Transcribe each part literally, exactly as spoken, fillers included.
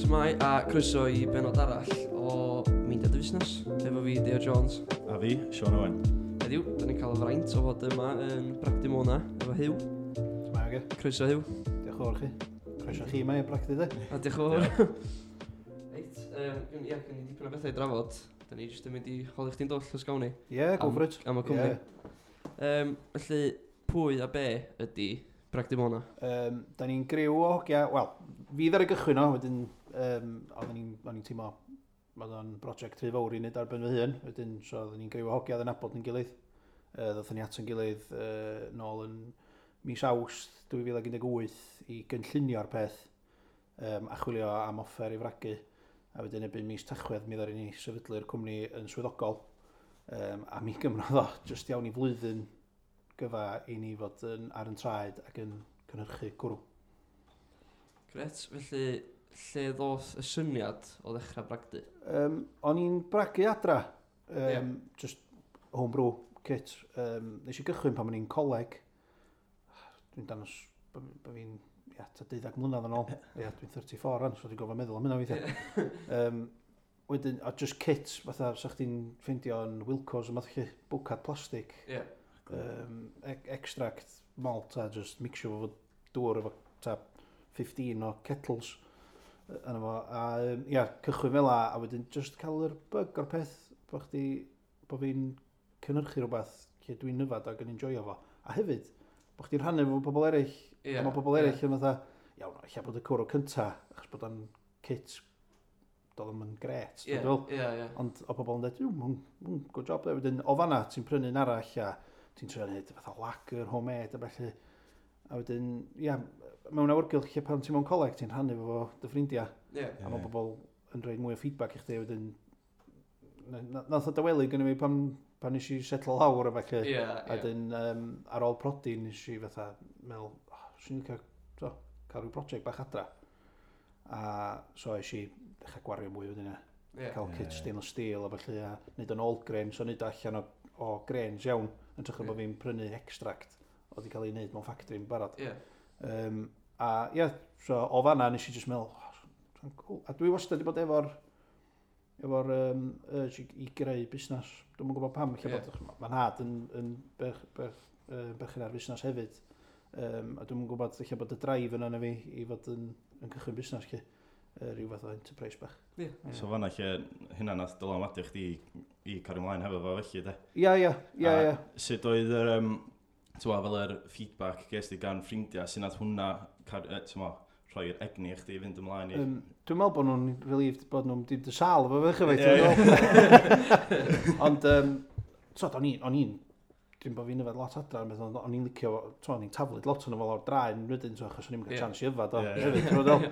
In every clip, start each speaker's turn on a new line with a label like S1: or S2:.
S1: Shwmae a croeso i benod arall o Meindia Dy Fusnes, efo fi, Deo Jones.
S2: A fi, Sean Owen.
S1: Heddiw, da ni'n cael y fraint o fod yma yn Bragdy Mona, efo Huw.
S3: Shwmae, oge.
S1: Croeso, Huw.
S3: Diolch yn fawr chi. Croeso chi yma i'r bragdy, de.
S1: A diolch yn fawr. Reit, um, ia, gen i dipyn o bethau i drafod. Da ni jyst yn mynd i holi chdi'n dwll os gawn ni.
S3: Ie, yeah, go for it.
S1: Am y cwmni. Yeah. Um, felly, pwy a be ydy Bragdy Mona?
S3: Um, da ni'n griw o hogia, wel, fi ddaru gychwyn o, wedyn, um, oedden ni'n o'n i'n teimlo, oedd o'n brosiect rhy fawr i wneud ar ben fy hun, wedyn, so oedden ni'n griw o hogia oedd yn nabod yn gilydd. Uh, ddothon ni at yn gilydd uh, nôl yn mis Awst dwy fil ac un deg wyth i gynllunio'r peth um, a chwilio am offer i fragu. A wedyn erbyn mis Tachwedd mi ddaru ni sefydlu'r cwmni yn swyddogol. Um, a mi gymrodd o jyst iawn i flwyddyn gyfa i ni fod yn, ar yn traed ac yn cynhyrchu cwrw.
S1: Gret, felly, lle ddoth y syniad o ddechrau bragdy?
S3: Um, o'n i'n bragu adra, um,
S1: Ie.
S3: just homebrew kit. Um, nes i gychwyn pan o'n i'n coleg. Dwi'n dangos bo bo fi'n, ia, ta deuddeg mlynedd yn ôl. Ia, dwi'n pedwar deg pedwar rwan, so dwi'n gofio meddwl am hynna weithiau. um, wedyn, a just kit, fatha, sa chdi'n ffeindio yn Wilko's, yma chi bwcad plastig,
S1: Ie.
S3: um, e extract malt a just mixio fo dŵr efo ta fifteen o kettles yy, yna fo. A um, ia, cychwyn fel 'a, a wedyn just cael yr bug o'r peth bo chdi, bo fi'n cynhyrchu rhywbeth lle dwi'n yfad ac yn enjoyo fo. A hefyd, bo chdi'n rhannu efo pobl eraill,
S1: Ie.
S3: a mae pobl eraill yn fatha, iawn, ella bod y cwrw cynta, achos bod o'n kit, doedd o'm yn gret,
S1: Ie,
S3: dwi'n meddwl.
S1: ie, ie.
S3: Ond o pobl yn dweud, "Ww, hwn, hwn, good job there." Wedyn, o fanna, ti'n prynu'n arall a ti'n trio neud fatha lager, homemade a felly. A wedyn, ia, mewn awyrgylch lle pan ti'n mewn coleg, ti'n rhannu efo dy ffrindiau.
S1: Ie.
S3: A mae pobl yn rhoi mwy o feedback i chdi, wedyn, na- na- nath o dawelu gynnu fi pan, pan nes i setlo lawr a felly.
S1: Ie,
S3: A
S1: ie.
S3: wedyn, um, ar ôl prodi, nes i fatha meddwl, oh, swn i'n licio so, cael rhyw brosiect bach adra. A so es i ddechrau gwario mwy wedyn, ie.
S1: Ie.
S3: Cael
S2: Ie.
S3: kit stainless steel a felly, a neud o'n all grain, so neud o allan o, o grains iawn, yn hytrach na
S1: Ie.
S3: bod fi'n prynu extract oedd wedi cael ei wneud mewn factory yn barod.
S1: Ie.
S3: Um, a ie, yeah, so o fanna nes i just meddwl, oh, cool. A dwi wastad wedi bod efo'r efo'r um, urge i, i greu busnes. Dwi'm yn gwybod pam, lle
S1: Ie.
S3: bod mae nhad yn, yn berch, berch, uh, berchen ar busnes hefyd. Um, a dwi'm yn gwybod lle bod y drive yna yn fi i fod yn, yn cychwyn busnes lle. Uh, rhyw fath o enterprise bach.
S1: Ie.
S2: So fanna lle hynna nath dylanwadu chdi i, i cario ymlaen hefo fo felly, de?
S3: Ia, ia, ia,
S2: A
S3: ia.
S2: Sut oedd yr, um, t'mo, fel yr feedback ges di gan ffrindiau, sut nath hwnna, car, e, t'mo, rhoi'r egni i chdi i fynd ymlaen i?
S3: Um, dwi'n meddwl bod nhw'n relieved bod nhw'n dim dy sal efo fe chyfaith.
S2: Ie, ie.
S3: Ond, um, so, o'n i'n, o'n i'n, dwi'n bod fi'n yfed lot adra, ond beth, o'n i'n licio, so, o'n i'n taflud lot o'n fo lawr draen wedyn, so, achos o'n i'n cael
S1: Ie.
S3: chance i yfed o
S2: Ie, ie.
S3: hefyd, ti'n gwbod?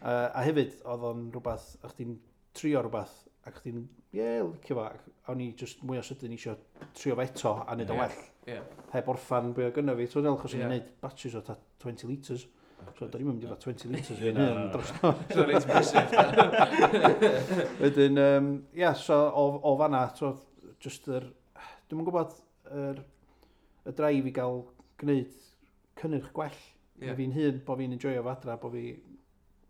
S3: Uh, a hefyd, oedd o'n rhywbeth, o'ch chdi'n trio rhywbeth, ac chdi'n, ie, yeah, licio fo, ac o'n i just mwy o sydyn eisiau trio fo eto a neud o'n
S1: Ie.
S3: well.
S1: Ie.
S3: Heb orffan be oedd gynno fi, ti'n gwbod, achos o'n i'n
S1: Ie.
S3: neud batches o ta twenty litres. So, do'n i'm yn mynd i fod twenty litres
S2: Ie,
S3: fi'n
S2: na,
S3: hun
S2: na, na.
S3: dros nos.
S1: So, reit brysur.
S3: Wedyn, um, ia, so o, o fanna, so, just yr, dwi'm yn gwybod, yr, y drive i gael gwneud cynnyrch gwell.
S1: Ie.
S3: Yeah. Fi'n hun, bo fi'n enjoyo fo adra, bo fi,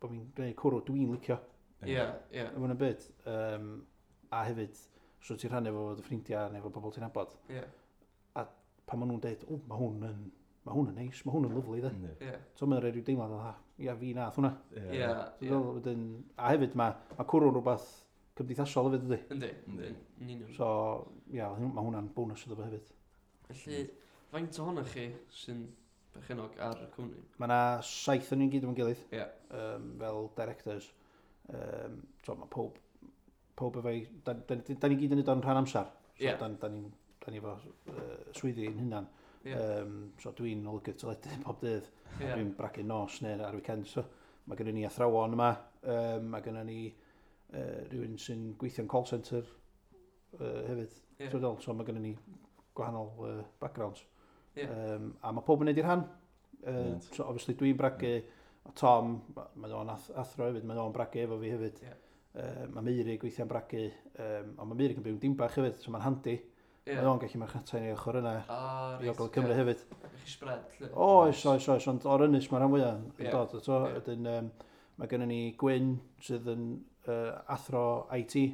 S3: bo fi'n gwneud cwrw dwi'n licio,
S1: Ie, ie.
S3: yn y byd. Um, a hefyd, so ti'n rhannu efo dy ffrindiau neu efo bobl ti'n nabod,
S1: Ie.
S3: pan maen nhw'n dweud, "O, mae hwn yn, mae hwn yn neis, mae hwn yn lyfli, de."
S2: Yndi.
S1: Ie.
S3: So mae'n rhoi rhyw deimlad o, "Ah, ia, fi nath hwnna."
S1: Ie.
S3: So,
S1: Ie.
S3: fel, wedyn, a hefyd mae, mae cwrw'n rhywbeth cymdeithasol hefyd, ydy?
S1: Yndi.
S2: Yndi.
S1: Yn union.
S3: So, ia, mae hwnna'n bonus iddo fo hefyd.
S1: Felly, faint ohonoch chi sy'n berchenog ar y cwmni?
S3: Mae yna saith o'n ni'n gyd efo'n gilydd,
S1: Ie.
S3: um, fel directors. Um, so, mae pob, pob efo'i... Da, da, da ni gyd yn neud o'n rhan amser. So,
S1: Ie.
S3: da, da ni'n da ni efo uh, swyddi ein hunan.
S1: Ie.
S3: Um, so, dwi'n olygydd teledu pob dydd.
S1: Ie.
S3: Dwi'n bragu nos neu ar weekend. So, mae gennym ni athrawon yma. Um, mae gennym ni uh, rhywun sy'n gweithio'n call centre uh, hefyd.
S1: Ie.
S3: So, so mae gennym ni gwahanol uh, backgrounds.
S1: Ie.
S3: Um, a mae pob yn neud i'r rhan. Uh,
S2: Right.
S3: so obviously dwi'n bragu, mae Tom, mae o'n ath athro hefyd, mae o'n bragu efo fi hefyd.
S1: Ie.
S3: Uh, mae Meirig weithiau'n bragu, um, ond mae Meirig yn byw yn Dimbach hefyd, so mae'n handi.
S1: Ie.
S3: Mae o'n gallu marchnata ni ochr yna
S1: Ah,
S3: i Ogledd Cymru
S1: ie.
S3: hefyd.
S1: Chi spread, lle.
S3: Oes, oes, oes, ond o'r ynys mae'r rhan fwyaf yn
S1: Ie.
S3: dod. So,
S1: Ie.
S3: wedyn, um, Mae gennym ni Gwyn sydd yn uh, athro I T.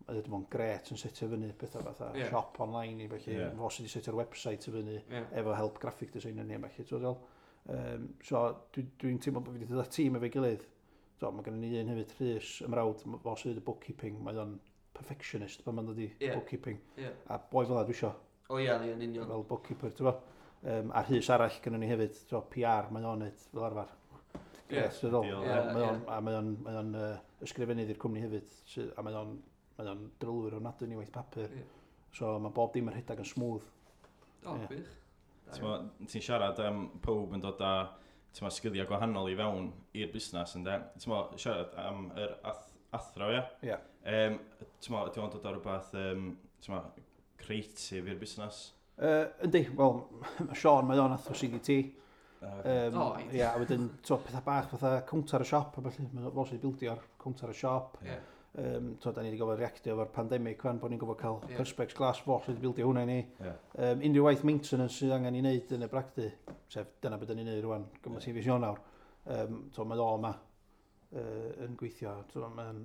S3: Mae wedi bod yn gret yn setio fyny pethau fatha
S1: Ie.
S3: shop online i felly.
S2: Ie.
S3: Fo sydd wedi setio'r website i fyny
S1: Ie.
S3: efo help graphic designer ni a felly. Ti'n gwbod? Um, so dwi'n dwi teimlo bod fi wedi dod â tîm efo'i gilydd. So, mae gennym ni un hefyd, Rhys, ymrawd, fo sydd wedi bookkeeping, mae o'n perfectionist pan mae'n dod i
S1: Ie.
S3: bookkeeping.
S1: Ie.
S3: A boi fel 'na dwi isio,
S1: O ie, ie, yn union.
S3: fel bookkeeper, ti'n bo? Um, a Rhys arall gynnon ni hefyd, so P R, mae o'n neud fel arfer.
S1: Ie.
S3: Yes, dwi'n
S2: Ideal.
S1: Ie,
S3: Mae o'n,
S1: ie.
S3: a mae o'n, mae o'n uh, ysgrifennydd i'r cwmni hefyd, sy, a mae o'n, mae o'n drylwyr ofnadwy ni waith papur.
S1: Ie.
S3: So mae bob dim yn rhedeg yn smooth.
S1: O,
S3: Ie.
S1: gwych. Da
S2: T'mo, ti'n siarad am pob yn dod â, t'mo, sgiliau gwahanol i fewn i'r busnes, ynde? T'mo, siarad am yr ath athro, ie?
S3: Ie.
S2: Um, t'mo, ydy o'n dod â rhywbeth, um, t'mo, creative i'r busnes?
S3: Uh, yndi, wel, mae Sean, mae o'n athro C D T.
S2: Uh,
S3: Um,
S1: O, ideal.
S3: Ie, a wedyn, so, pethau bach fatha cownter y siop, a felly, mae fo sydd wedi bildio'r cownter y siop.
S1: Ie.
S3: Um, so, da ni wedi gofod reactio efo'r pandemig, wan, bod ni'n gofod cael
S1: Ie.
S3: perspex glass, fo sydd wedi bildio hwnna i ni.
S2: Ie.
S3: Um, unrhyw waith maintenance sydd angen i wneud yn y bragdy, sef dyna beth ni'n neud rwan, gymaint
S2: Ie.
S3: sy'n fis Ionawr. Um, so, mae o yma uh, yn gweithio. So, mae'n,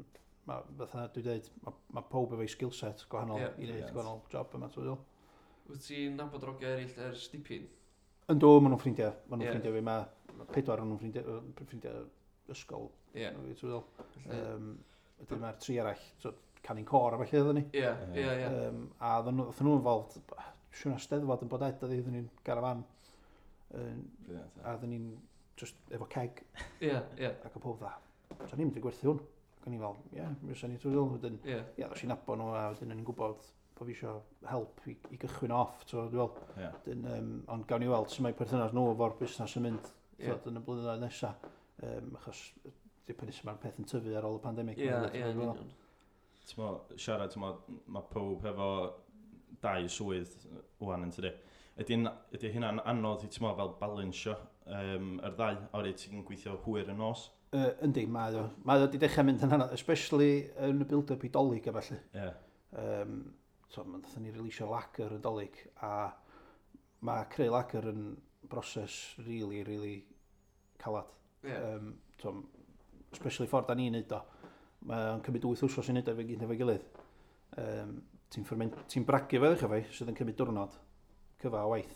S3: ma, fatha dwi'n dweud, mae ma pob efo'i skill set gwahanol
S1: Ie.
S3: i wneud
S2: Brilliant.
S3: gwahanol job yma. Ti'n meddwl?
S1: Wyt ti'n nabod rogia eraill ers dipyn?
S3: Yndw, maen nhw'n ffrindiau. Maen nhw'n
S1: Ie.
S3: ffrindiau fi. Mae ma pedwar o'n nhw'n ffrindiau, yy, ffrindiau ysgol.
S1: Ie.
S3: Fi, ti'n meddwl?
S1: Felly-
S3: Um, wedyn mae'r tri arall, so, canu'n côr a felly oedden ni.
S1: Ie, ie, ie.
S3: Um, a oedden nhw oedden nhw involved, siwr na steddfod yn bod ed, oedd ni'n garafan. Um,
S2: Brilliant, ie.
S3: a oedden ni'n just efo keg
S1: Ie, ie,
S3: ac o pob dda. So ni'n mynd i gwerthu hwn. Ac o'n i fel, ie, mi fysa ni trwy ddol. Wedyn,
S1: ie.
S3: ie, ddos i'n nabod nhw a wedyn o'n i'n gwybod bod fi eisiau help i, i gychwyn off, so dwi'n fel.
S2: Ie.
S3: Wedyn, um, ond gawn ni weld sut mae perthynas nhw efo'r busnes yn mynd
S1: Ie.
S3: yeah. yn y blynyddoedd nesaf. Um, achos dipyn sut mae'r peth yn tyfu ar ôl y pandemig.
S1: Ie,
S3: ma'
S1: ie, yn
S3: dwi'n meddwl.
S1: union.
S2: T'mo, siarad, t'mo, mae pob efo dau swydd wan yn tydi. Ydy, ydy hynna'n anodd i, t'mo, fel balansio um, yr ddau, oherwydd ti'n gweithio hwyr yn nos?
S3: Uh, yndi, mae o. Mae o wedi dechrau mynd yn anodd, especially yn y build-up i Dolig a felly.
S2: Ie.
S3: Um, so, nathon ni releasio lager yn Dolig, a mae creu lager yn broses really, really calad.
S1: Ie.
S3: Um, so, especially ffordd da ni'n neud o. Mae'n cymryd wyth wsos i neud o efo'i gyd efo'i gilydd. Um, ti'n ferment, ti'n bragu fo ddechrau fi, sydd yn cymryd diwrnod cyfa o waith.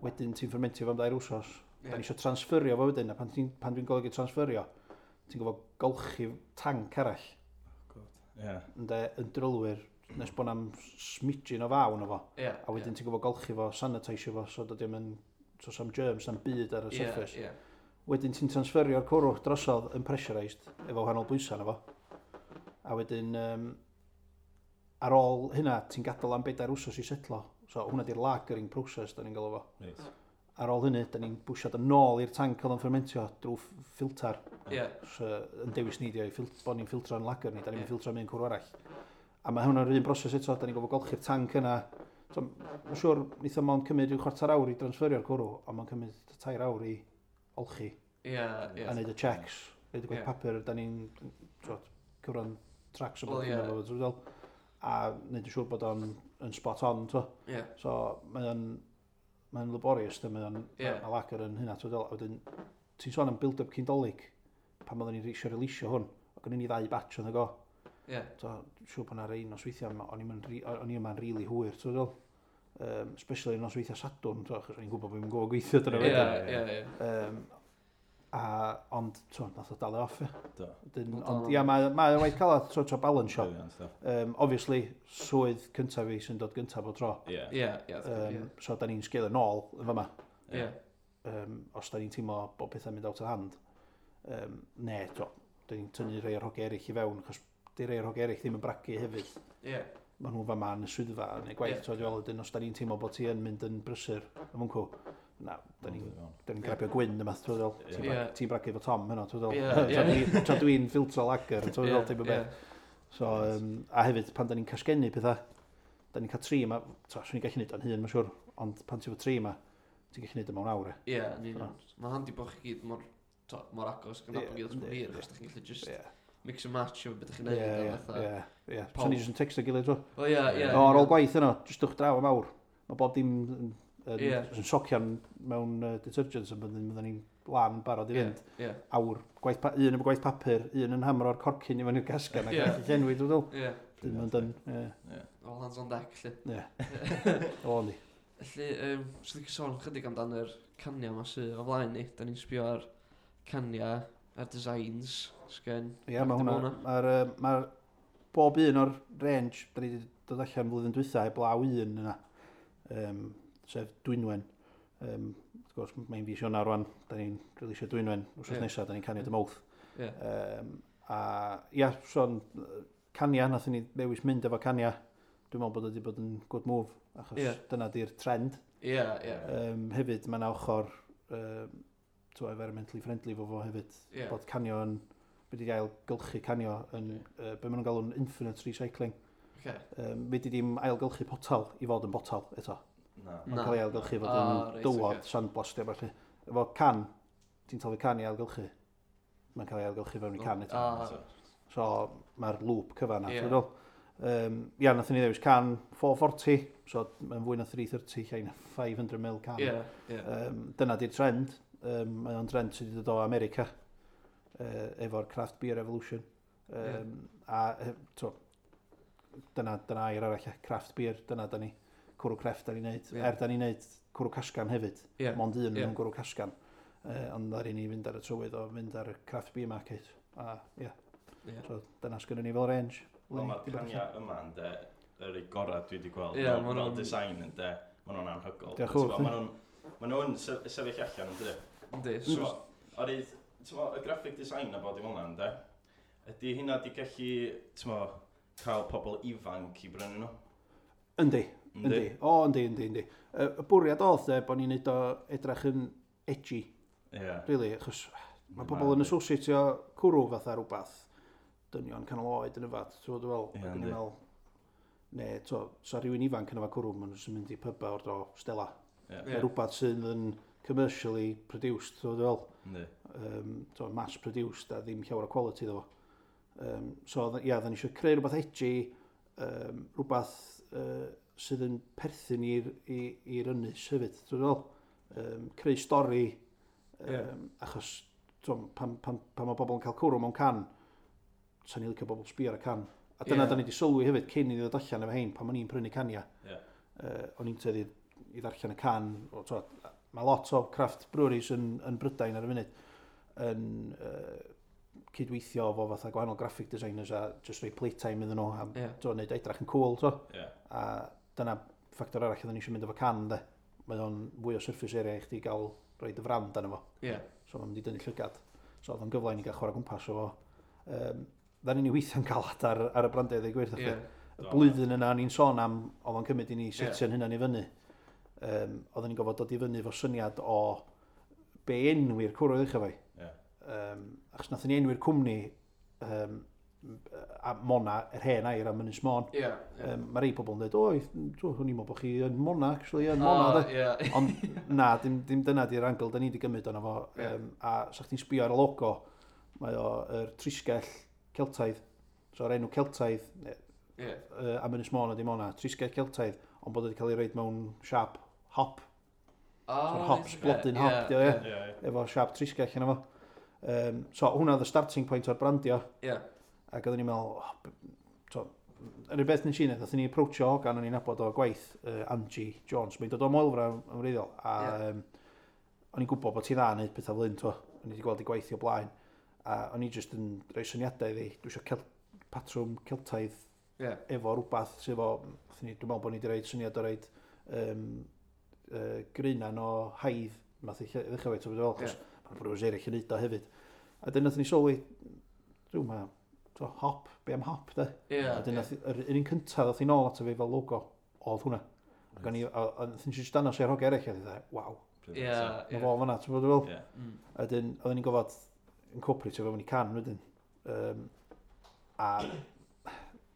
S3: Wedyn ti'n fermentio fo am dair wsos.
S1: Ie.
S3: Da ni eisiau transferio fo wedyn, a pan, ti'n- pan dwi'n golygu transferio, ti'n gofod golchi tanc arall,
S2: Ie.
S3: ynde, yn drylwyr, nes bod na'm smidgin o fawn o fo.
S1: Ie.
S3: A wedyn ti'n gofod golchi fo, sanitisio fo, so dydy o'm yn, so sam germs, sam byd ar y
S1: Ie,
S3: surface.
S1: ie.
S3: Wedyn ti'n transferio'r cwrw drosodd yn pressurised efo wahanol bwysau na fo. A wedyn, um, ar ôl hynna, ti'n gadael am bedair wsos i setlo. So hwnna di'r lagering process, da ni'n galw fo.
S2: Reit.
S3: Ar ôl hynny, da ni'n bwsiad yn ôl i'r tank oedd yn fermentio drwy ff- ffilter.
S1: Ie.
S3: So, yn dewis ni di o i ffil- bod ni'n ffiltro'n lager ni, da ni'n
S1: Ie.
S3: ffiltro mewn cwrw arall. A mae hwnna'r un broses eto, da ni'n gofod golchi'r tank yna. So, mae'n siŵr, neith o mond cymryd rhyw chwarter awr i transferio'r cwrw, ond mae'n cymryd tair awr i olchi
S1: Ie, ie.
S3: a neud y checks, neud y gwaith
S1: Ie.
S3: papur, da ni'n twod, cyfran tracks o
S1: Wel,
S3: bod
S1: ie.
S3: yn efo, ti'n gwbod? A neud yn siŵr bod o'n yn spot on, t'wo.
S1: Ie.
S3: So, mae o'n mae'n laborious, dy, mae o'n
S1: Ie.
S3: yeah. lager yn hynna, ti'n gwbod? A wedyn, ti'n sôn am build-up cyn Dolig, pan oedden ni'n eisiau releasio hwn, ac o'n i ddau batch yn y go.
S1: Ie.
S3: So, siŵr bod 'na rei nosweithiau, ma- o'n i'm yn ri- o'n i yma'n rili hwyr, ti'n gwbod? Um, especially nosweithiau Sadwrn, t'wo, achos o'n i'n gwybod bod fi'n gwybod gweithio dyna
S1: Ie,
S3: wedyn.
S1: ie, ie.
S3: Um, a, ond, t'wo, nath o dalu off, ie.
S2: Do.
S3: Wedyn,
S1: Wel,
S3: ond,
S1: dal.
S3: ia, mae mae o'n waith calad, so, trio balansio.
S2: Brilliant, do.
S3: Um, obviously, swydd cyntaf fi sy'n dod gyntaf o tro.
S2: Ie.
S1: Ie, ie.
S3: Um, so, da ni'n sgil yn ôl yn fyma.
S1: Ie.
S3: Um, os da ni'n teimlo bod pethau'n mynd out of hand. Um, ne, to, da ni'n tynnu rhai o'r hogiau eraill i fewn, achos di rhai o'r hogiau eraill ddim yn bragu hefyd.
S1: Ie.
S3: Maen nhw fama yn y swyddfa yn ei gwaith,
S1: Ie.
S3: so dwi'n wedyn os da ni'n teimlo bod ti yn mynd yn brysur yn mwncw, na, da ni'n da ni'n
S1: Ie.
S3: grabio gwyn yma, ti'n meddwl,
S2: Ie.
S3: ti'n brag- ti'n bragu efo Tom heno, ti'n meddwl,
S1: Ie,
S3: Tra
S1: ie.
S3: dwi- tra dwi'n ffiltro lager, ti'n meddwl, teip o
S1: Ie.
S3: beth. So, um, a hefyd, pan da ni'n casgennu pethau, da ni'n cael tri yma, so, swn i'n gallu neud o'n hun, mae'n siŵr, ond pan ti efo tri yma, ti'n gallu neud o mewn awr, e.
S1: Ie, yn union. Mae'n handi bod chi gyd mor, to, mor agos gan
S3: Ie,
S1: nabod gilydd
S3: yndi,
S1: mor hir,
S3: ie.
S1: achos da chi'n gallu just
S3: Ie,
S1: mix and match efo beth ydych chi'n
S3: ie,
S1: neud. a
S3: ie,
S1: fatha-
S3: ie, ie.
S1: Pawb.
S3: So ni jyst yn texto gilydd, tro.
S1: Wel, ie, ie.
S3: O, ar ôl gwaith yno, jyst dwch draw am awr. Mae bob dim yn, yn,
S1: Ie.
S3: yn socian mewn uh, detergents yn byddwn byddwn ni'n lan barod i
S1: Ie,
S3: fynd.
S1: ie,
S3: Awr, gwaith pa, un efo gwaith papur, un yn hamro'r corcyn i fyny'r casgan ac
S1: Ie.
S3: yeah. llenwi, dwi'n dweud.
S1: ie.
S3: Dyn nhw'n dyn, ie.
S2: Ie.
S1: All hands on deck, lle.
S3: Ie. O, ni.
S1: Felly, um, swn i'n sôn chydig amdan yr caniau yma sydd o flaen ni. Da ni'n sbio ar caniau, ar designs, sgen.
S3: Ie, mae hwnna, mae'r yy, mae'r bob un o'r range, da ni wedi dod allan flwyddyn dwytha, heblaw un yna, um, sef Dwynwen. Um, wrth gwrs, mae'n fis Ionawr rwan, da ni'n releasio Dwynwen, wrth
S1: Ie.
S3: nesaf, da ni'n canio dy mowth.
S1: Ie,
S3: Um, a ia, son, cania, nathon ni ddewis mynd efo cania. Dwi'n meddwl bod o wedi bod yn good move, achos
S1: Ie.
S3: dyna di'r trend.
S1: ie, ie.
S3: Um, hefyd, mae yna ochr um, t'wo, environmentally friendly fo fo hefyd.
S1: Ie.
S3: Bod canio yn, wedi ailgylchu canio yn, uh, be maen nhw'n galw'n infinite recycling.
S1: Oce.
S3: Um, Fedri dim ailgylchu potal i fod yn botal eto.
S2: Na.
S3: Mae'n
S1: Na.
S3: cael ei ailgylchu i fod
S1: Ah,
S3: yn
S1: reit,
S3: dywod,
S1: ocê.
S3: sandblastio, falle. Efo can, ti'n taflu can i ailgylchu. Mae'n cael ei ailgylchu fewn i can eto.
S1: Ah,
S2: So,
S3: So mae'r loop cyfan na.
S1: Ie.
S3: Yeah. Um, ia, nathon ni ddewis can four forty, so mae'n fwy na three thirty, llai na five hundred mil can.
S1: Ie, ie.
S3: Um, dyna di'r trend. Um, mae o'n trend sydd wedi dod o America uh, efo'r craft beer revolution. Um, A e, to, dyna, dyna air arall, ie, craft beer, dyna da ni, cwrw crefft da ni'n neud.
S1: Ie.
S3: Er da ni'n neud cwrw casgan hefyd,
S1: Ie,
S3: mond un
S1: Ie.
S3: yn gwrw casgan. Uh, ond ddaru ni fynd ar y trywydd o fynd ar y craft beer market. A ie,
S1: ie.
S3: so dyna sgynnon ni fel range.
S2: Wel, mae'r
S3: Di bod
S2: cania yma yn de, yr ei gorau dwi wedi gweld.
S1: Ie,
S2: fel-
S1: ma'
S2: fel
S1: nhw'n-
S2: design yn de, maen nhw'n anhygoel.
S3: Diolch yn fawr.
S2: Maen nhw'n ma nhw'n se- sefyll allan yn dydi.
S1: Yndi,
S2: So, oherwydd, ti'n y graphic design a bod i fel yna, ynde? Ydy hynna di gallu, ti'n mo, cael pobl ifanc i brynu nhw?
S3: Yndi, yndi. O, yndi, yndi, yndi. Y y bwriad oedd de, bod ni'n neud o edrych yn edgy,
S2: Ie.
S3: really, achos mae pobl yn associatio cwrw fatha rhywbeth dynion canol oed yn yfad, ti'n gwbod fel,
S2: Ie,
S3: ac o'n i'n
S2: yndi.
S3: meddwl, ne, to, sa rhywun ifanc yn yfad cwrw, maen nhw'n jyst yn mynd i pyba o'r dro Stella.
S2: Ie.
S1: Ie.
S3: Neu rhywbeth sydd yn commercially produced, ti'n gwbod fel,
S2: Yndi.
S3: um, to, mass produced a ddim llawer o quality iddo fo. Um, so, ia, yeah, oedden ni eisiau creu rhywbeth edgy, um, rhywbeth uh, sydd yn perthyn i'r i- i'r ynys hefyd, ti'n gwbod fel? Um, creu stori, um,
S1: Ie.
S3: achos t'wo, pan, pan, pan mae bobl yn cael cwrw mewn can, sa'n ni licio bobl sbio ar y can. A dyna
S1: Ie.
S3: da ni wedi sylwi hefyd cyn i ddod allan efo hein, pan o'n i'n prynu cania.
S2: Ie.
S3: Uh, o'n i'n tueddu i ddarllen y can. O, t'wo, mae lot o craft breweries yn, yn Brydain ar y funud yn uh, cydweithio efo fatha gwahanol graphic designers a just rhoi playtime iddyn nhw a
S1: Ie.
S3: t'wo, neud edrych yn cool. T'wo.
S2: Ie.
S3: A dyna ffactor arall oedden ni eisiau mynd efo can, de. Mae o'n fwy o surface area i chdi gael rhoi dy frand arno fo.
S1: Ie.
S3: So mae'n mynd i dynnu llygad. So oedd o'n gyfle i ni gael chwarae gwmpas o fo. Um, Dda ni'n weithio'n galad ar, ar y brandiau, ddweud gwir.
S1: Ie.
S3: Y blwyddyn yna ni'n sôn am, oedd o'n cymryd i ni
S1: Ie.
S3: setio'n hynna'n i fyny. Um, oedden ni'n gofod dod i fyny efo syniad o be enwi'r cwrw i ddechrau fo.
S2: Ie.
S3: Um, achos nathon ni enwi'r cwmni um, a Mona, yr hen air am Ynys Môn.
S1: Ie. Ie.
S3: Um, mae rei pobl yn dweud, oi, o'n i'n meddwl bod chi yn Mona, actually, yn Mona,
S1: Ah,
S3: de.
S1: Ie.
S3: Ond na, dim, dim dyna di'r angle da ni wedi gymryd ono fo.
S1: Ie.
S3: Um, a sa chdi'n sbio ar y logo, mae o yr trisgell Celtaidd. So, yr enw Celtaidd
S1: Ie.
S3: uh, am Ynys Môn ydi Mona, trisgell Celtaidd, ond bod wedi cael ei roid mewn siap hop.
S1: Ah,
S3: So'r hops,
S1: reit,
S3: blodyn
S1: ocê.
S3: hop,
S1: Ie,
S3: dio, ie.
S2: Ie, ie.
S3: Efo siap trisgell yna fo. Um, so, hwnna oedd y starting point o'r brandio.
S1: Ie.
S3: Ac oedden ni'n meddwl, oh, b- so, yr unig beth nes i wneud, nathon ni approachio hogan o'n i'n nabod o gwaith, uh, Angie Jones. Mae'n dod o Moelfra yn wreiddiol. A
S1: Ie.
S3: um, o'n i'n gwybod bod ti dda yn neud pethau fel hyn, t'wo. O'n i wedi gweld ei gwaith i o blaen. A o'n i jyst yn rhoi syniadau iddi. Dwi eisiau cel patrwm Celtaidd
S1: Ie.
S3: efo rhywbeth sydd efo, nathon ni, dwi'n meddwl bod ni wedi rhoi syniad o roid um, uh, greunan o haidd, math i lle- ddechrau fe, ti'n fel, achos mae'n brewers eraill yn neud o hefyd. A dyn nathon ni sylwi, dwi'n ma, to, hop, be am hop, de?
S1: Ie.
S3: A dyn
S1: ie.
S3: nath, yr un un cyntaf ddoth i nôl ato fi fel logo, oedd hwnna. Ac o'n i, a, a nathon ni jyst dangos i'r hogia eraill, a dweud, waw,
S1: Ie.
S3: mae
S1: Ie.
S3: fo fan'na, ti'n bod fel?
S2: Ie.
S1: Mm.
S3: A dyn, oedden ni'n gofod incorporate o fewn i can wedyn. Um, a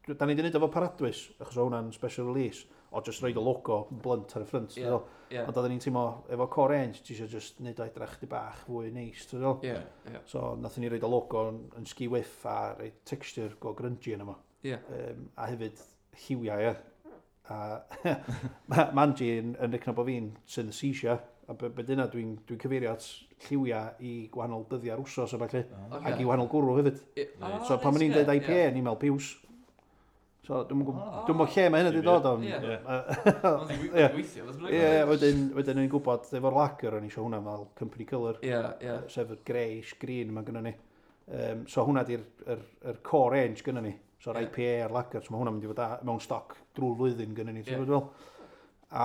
S3: da ni wedi gwneud efo Paradwys, achos o hwnna'n special release, o just roid y logo blunt ar y ffrynt.
S1: Ie.
S3: Yeah.
S1: Ie.
S3: Ond oedden ni'n teimlo, efo core range, ti eisiau just neud o edrych chdi bach fwy neis, ti'n fel?
S1: Ie. Ie.
S3: So, nathon ni roid y logo yn, yn ski whiff a rhoi texture go grungy yna fo.
S1: Ie.
S3: Um, a hefyd lliwiau, ie. A ma' ma' Angie yn, yn recno bod fi'n synesthesia, A be, be dyna dwi'n dwi cyfeirio at lliwiau i gwahanol dyddiau'r wsos a falle.
S2: Ah.
S1: Ocê.
S3: Ac i wahanol gwrw hefyd.
S1: Ie.
S2: Reit.
S3: So pan
S1: reit,
S3: o'n i'n
S1: ie,
S3: dweud I P A,
S1: ie.
S3: ni'n meddwl piws. So dwi'n
S2: Ah.
S3: gwybod dwi'm lle mae hynna wedi dod o'n.
S1: Ie.
S2: Ie.
S1: Ond i
S3: Ie.
S1: weithio, beth bynnag.
S3: Ie, wedyn, wedyn o'n i'n gwybod efo'r lager o'n i eisiau hwnna fel company colour,
S1: Ie, ie.
S3: sef y greyish green mae gynnon ni. Um, so hwnna di'r yr, yr core range gynnon ni. So'r
S1: Ie.
S3: I P A a'r lager, so mae hwnna'n mynd i fod a, mewn stoc drwy'r flwyddyn gynnon ni, ti'n
S1: Ie.
S3: gwybod fel. A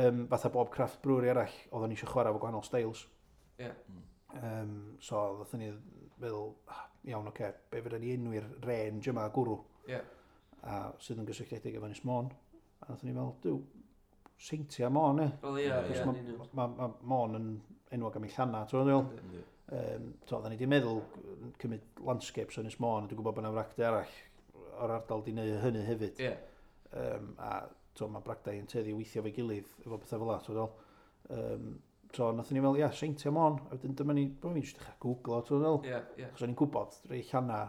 S3: um, fatha bob craft brewery arall, oedden ni eisiau chwarae efo gwahanol styles.
S1: Ie.
S3: Um, so ddothon ni feddwl, "Ah, iawn, oce, okay, be fydden ni enwi'r range yma gwrw?"
S1: Ie.
S3: A sydd yn gysylltiedig efo Ynys Môn. A ddothon ni fel, "Duw, Seintia Môn, e."
S1: Wel, ie,
S2: Ie,
S1: ie,
S3: Achos
S1: yn union.
S3: Mae ma, Môn yn enwog am ei llanna, ti'n gwybod?
S2: Yndi.
S3: Um, so, oedden ni wedi meddwl cymryd landscapes o Ynys Môn, a dwi'n gwybod bod yna fragdai arall o'r ardal di wneud hynny hefyd.
S1: Ie.
S3: Um, a so, mae bragdai yn tueddu i weithio efo'i gilydd efo pethau fel 'a, ti'n gwybod? Um, so, nathon ni fel, ia, Seintia Môn, a wedyn dyma ni, dyma ni jyst dechrau googlo, ti'n gwybod?
S1: Ie, ie.
S3: Achos o'n i'n gwybod, rei llanna,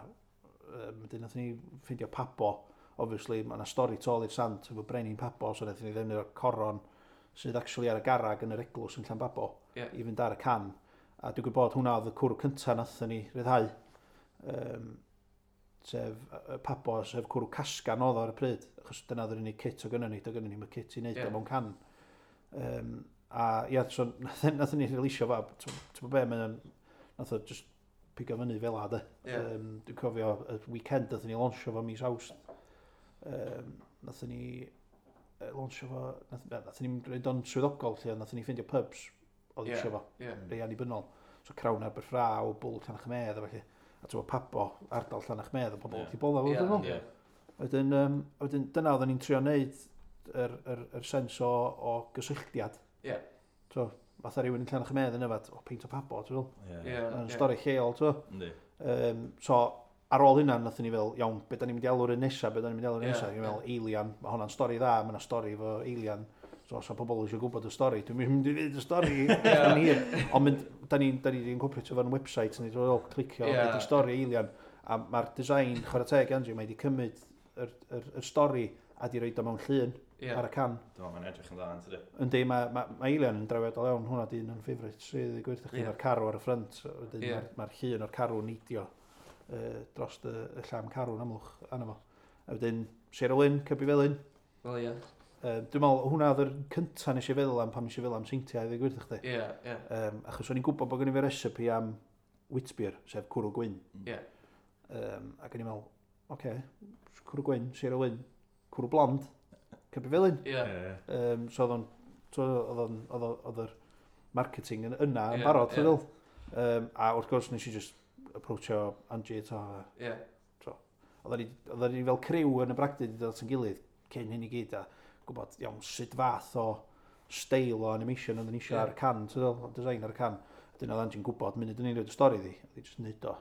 S3: um, wedyn nathon ni ffeindio Pabo, obviously, mae yna stori tu ôl i'r sant efo Brenin Pabo, so nathon ni ddefnyddio'r coron sydd actually ar y garag yn yr eglwys yn Llanbabo
S1: Ie.
S3: i fynd ar y can. A dwi'n gwybod hwnna oedd y cwrw cyntaf nathon ni ryddhau. Um, sef y Pabo, sef cwrw casgan oedd o ar y pryd, achos dyna oedd yr unig kit o gynnon ni, do gynnon ni'm y kit i wneud
S1: Ie.
S3: o mewn can. Um, a ia, so nathon nathon ni releasio fo, ti'n gwybod be, mae o'n, nath o just pigo fyny fel 'a, de.
S1: Ie.
S3: Um, dwi'n cofio y weekend nathon ni launchio fo mis Awst. Um, nathon ni yy, launchio fo, nath, nathon ni'n rhaid o'n swyddogol lle, nathon ni ffeindio pubs oedd
S1: Ie.
S3: eisiau fo,
S1: Ie.
S3: rei annibynnol. So Crown Aberffraw, Bull Llanachmedd a felly. A ti'n gwybod Pabo, ardal Llanachmedd, a pobl
S2: Ie.
S3: wrth i bodda fo,
S1: Ie,
S3: dwi'n meddwl.
S2: Ie.
S3: Wedyn, um, wedyn dyna oedden ni'n trio wneud yr, yr, yr sens o, o gysylltiad.
S1: Ie.
S3: So, fatha rhywun yn Llanachmedd yn yfad, o, peint o Pabo, ti'n meddwl?
S2: Ie.
S1: Ie.
S3: Yn
S1: ie.
S3: stori lleol, ti'n meddwl?
S2: Yndi.
S3: Um, so, ar ôl hynna, nathon ni fel, iawn, be da ni'n mynd i alw'r un nesa, be da ni'n mynd i alw'r un
S1: Ie,
S3: nesa? Ni'n fel, Eilian, mae hwnna'n stori dda, mae hwnna'n stori efo Eilian. So, os o pobl eisiau gwybod y stori, dwi'n mynd i ddweud y stori, yn hir. Ond mynd, da ni'n da ni wedi incorporate fo'n website, ni wedi clicio,
S1: Ie.
S3: yeah. be di stori Eilian. A mae'r design, chwarae teg, Angie, mae wedi cymryd yr, yr, yr stori a di roid o mewn llun
S1: Ie.
S3: ar y can.
S2: Dwi'n meddwl mae'n edrych yn dda, yn tydi?
S3: Yndi, mae ma, ma Eilian yn drawiadol iawn, hwnna di un o'n favourites, i ddweud gwir chdi,
S1: Ie.
S3: mae'r carw ar y ffrynt, wedyn
S1: Ie.
S3: mae'r ma llun o'r carw yn neidio uh, dros y, y llam carw yn Amlwch arno fo. A wedyn, Seiriol Wyn, Cybi Felyn.
S1: Wel, ie.
S3: Um, dwi'n meddwl, hwnna oedd yr cynta nes i feddwl am pan nes i feddwl am seintiau, i ddweud gwir chdi.
S1: Ie, ie.
S3: Um, achos o'n i'n gwybod bod gen i fi recipe am witbier, sef cwrw gwyn.
S1: Ie.
S3: Um, ac o'n i'n meddwl, oce, okay, cwrw gwyn, Seiriol Wyn, cwrw blond, Cybi Felyn.
S1: Ie.
S2: Ie.
S3: Um, so oedd o'n, so oedd o'n, oedd o- oedd yr marketing yn yna yn
S1: Ie,
S3: barod,
S1: ie.
S3: ti'n meddwl? Um, a wrth gwrs nes i just approachio Angie eto. a
S1: Ie.
S3: Oedden ni, oedden ni fel criw yn y bragdy wedi dod at yn gilydd cyn hyn i gyd a gwybod iawn sut fath o steil o animation oedden ni eisiau
S1: Ie.
S3: ar y can, ti'n meddwl, design ar y can. Wedyn oedd Angie'n gwybod, munud o'n i'n rhoid y stori iddi, oedd hi just neud o.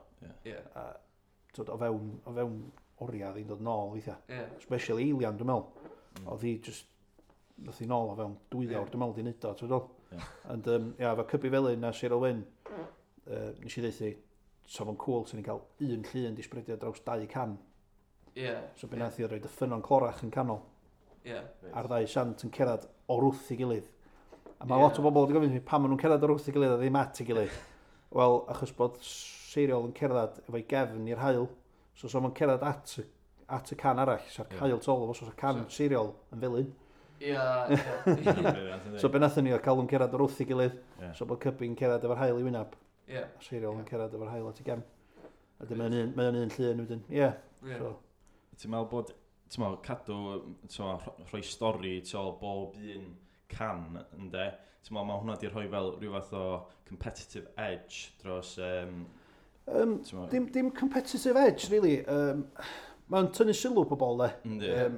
S1: Ie.
S3: A, twyd, o fewn, o fewn oriau oedd hi'n dod nôl weithiau.
S1: Ie.
S3: Especially Eilian, dwi'n meddwl.
S2: Mm.
S3: Oedd hi just, nath hi nôl o fewn dwy
S1: Ie.
S3: awr, dwi'n meddwl, di neud o, ti'n meddwl?
S2: Ie.
S3: And, um, ia, efo Cybi Felyn a Seiriol Wyn, uh, nes i ddweud sa fo'n cool, sy'n ni'n cael un llun di spreadio draws dau can.
S1: Ie.
S3: So be nath i oedd roed y ffynnon clorach yn canol,
S1: Ie.
S3: a'r ddau sant yn cerdded o'r wrth i gilydd. A mae
S1: Ie.
S3: lot o bobl wedi gofyn i fi pam maen nhw'n cerdded o'r wrth i gilydd a ddim at ei gilydd. Wel, achos bod Seiriol yn cerdded efo'i gefn i'r haul, so so ma'n cerdded at, y- at y can arall, sa'r
S2: Ie.
S3: haul tol, so sa'r can
S1: So-
S3: Seiriol yn felyn.
S1: Ie. Ie.
S2: Brilliant, yndi?
S3: So be nathon ni oedd cael nhw'n cerdded o'r wrth i gilydd,
S2: Ie.
S3: so bod Cybi'n cerdded efo'r haul i wynab,
S1: Ie.
S3: a Seiriol yn cerdded efo'r haul at ei gefn. A dyma un, mae o'n un llun wedyn. Ie,
S1: Ie.
S3: so.
S2: Ti'n meddwl bod, ti'n meddwl, cadw, ti'n meddwl, rho- rhoi stori tu ôl bob un can, ynde? Ti'n meddwl, mae hwnna di rhoi fel rhyw fath o competitive edge dros, um,
S3: Um,
S2: ti'n meddwl,
S3: dim, dim competitive edge, really. Um, mae'n tynnu sylw pobl, de.
S2: yndi?
S3: Um,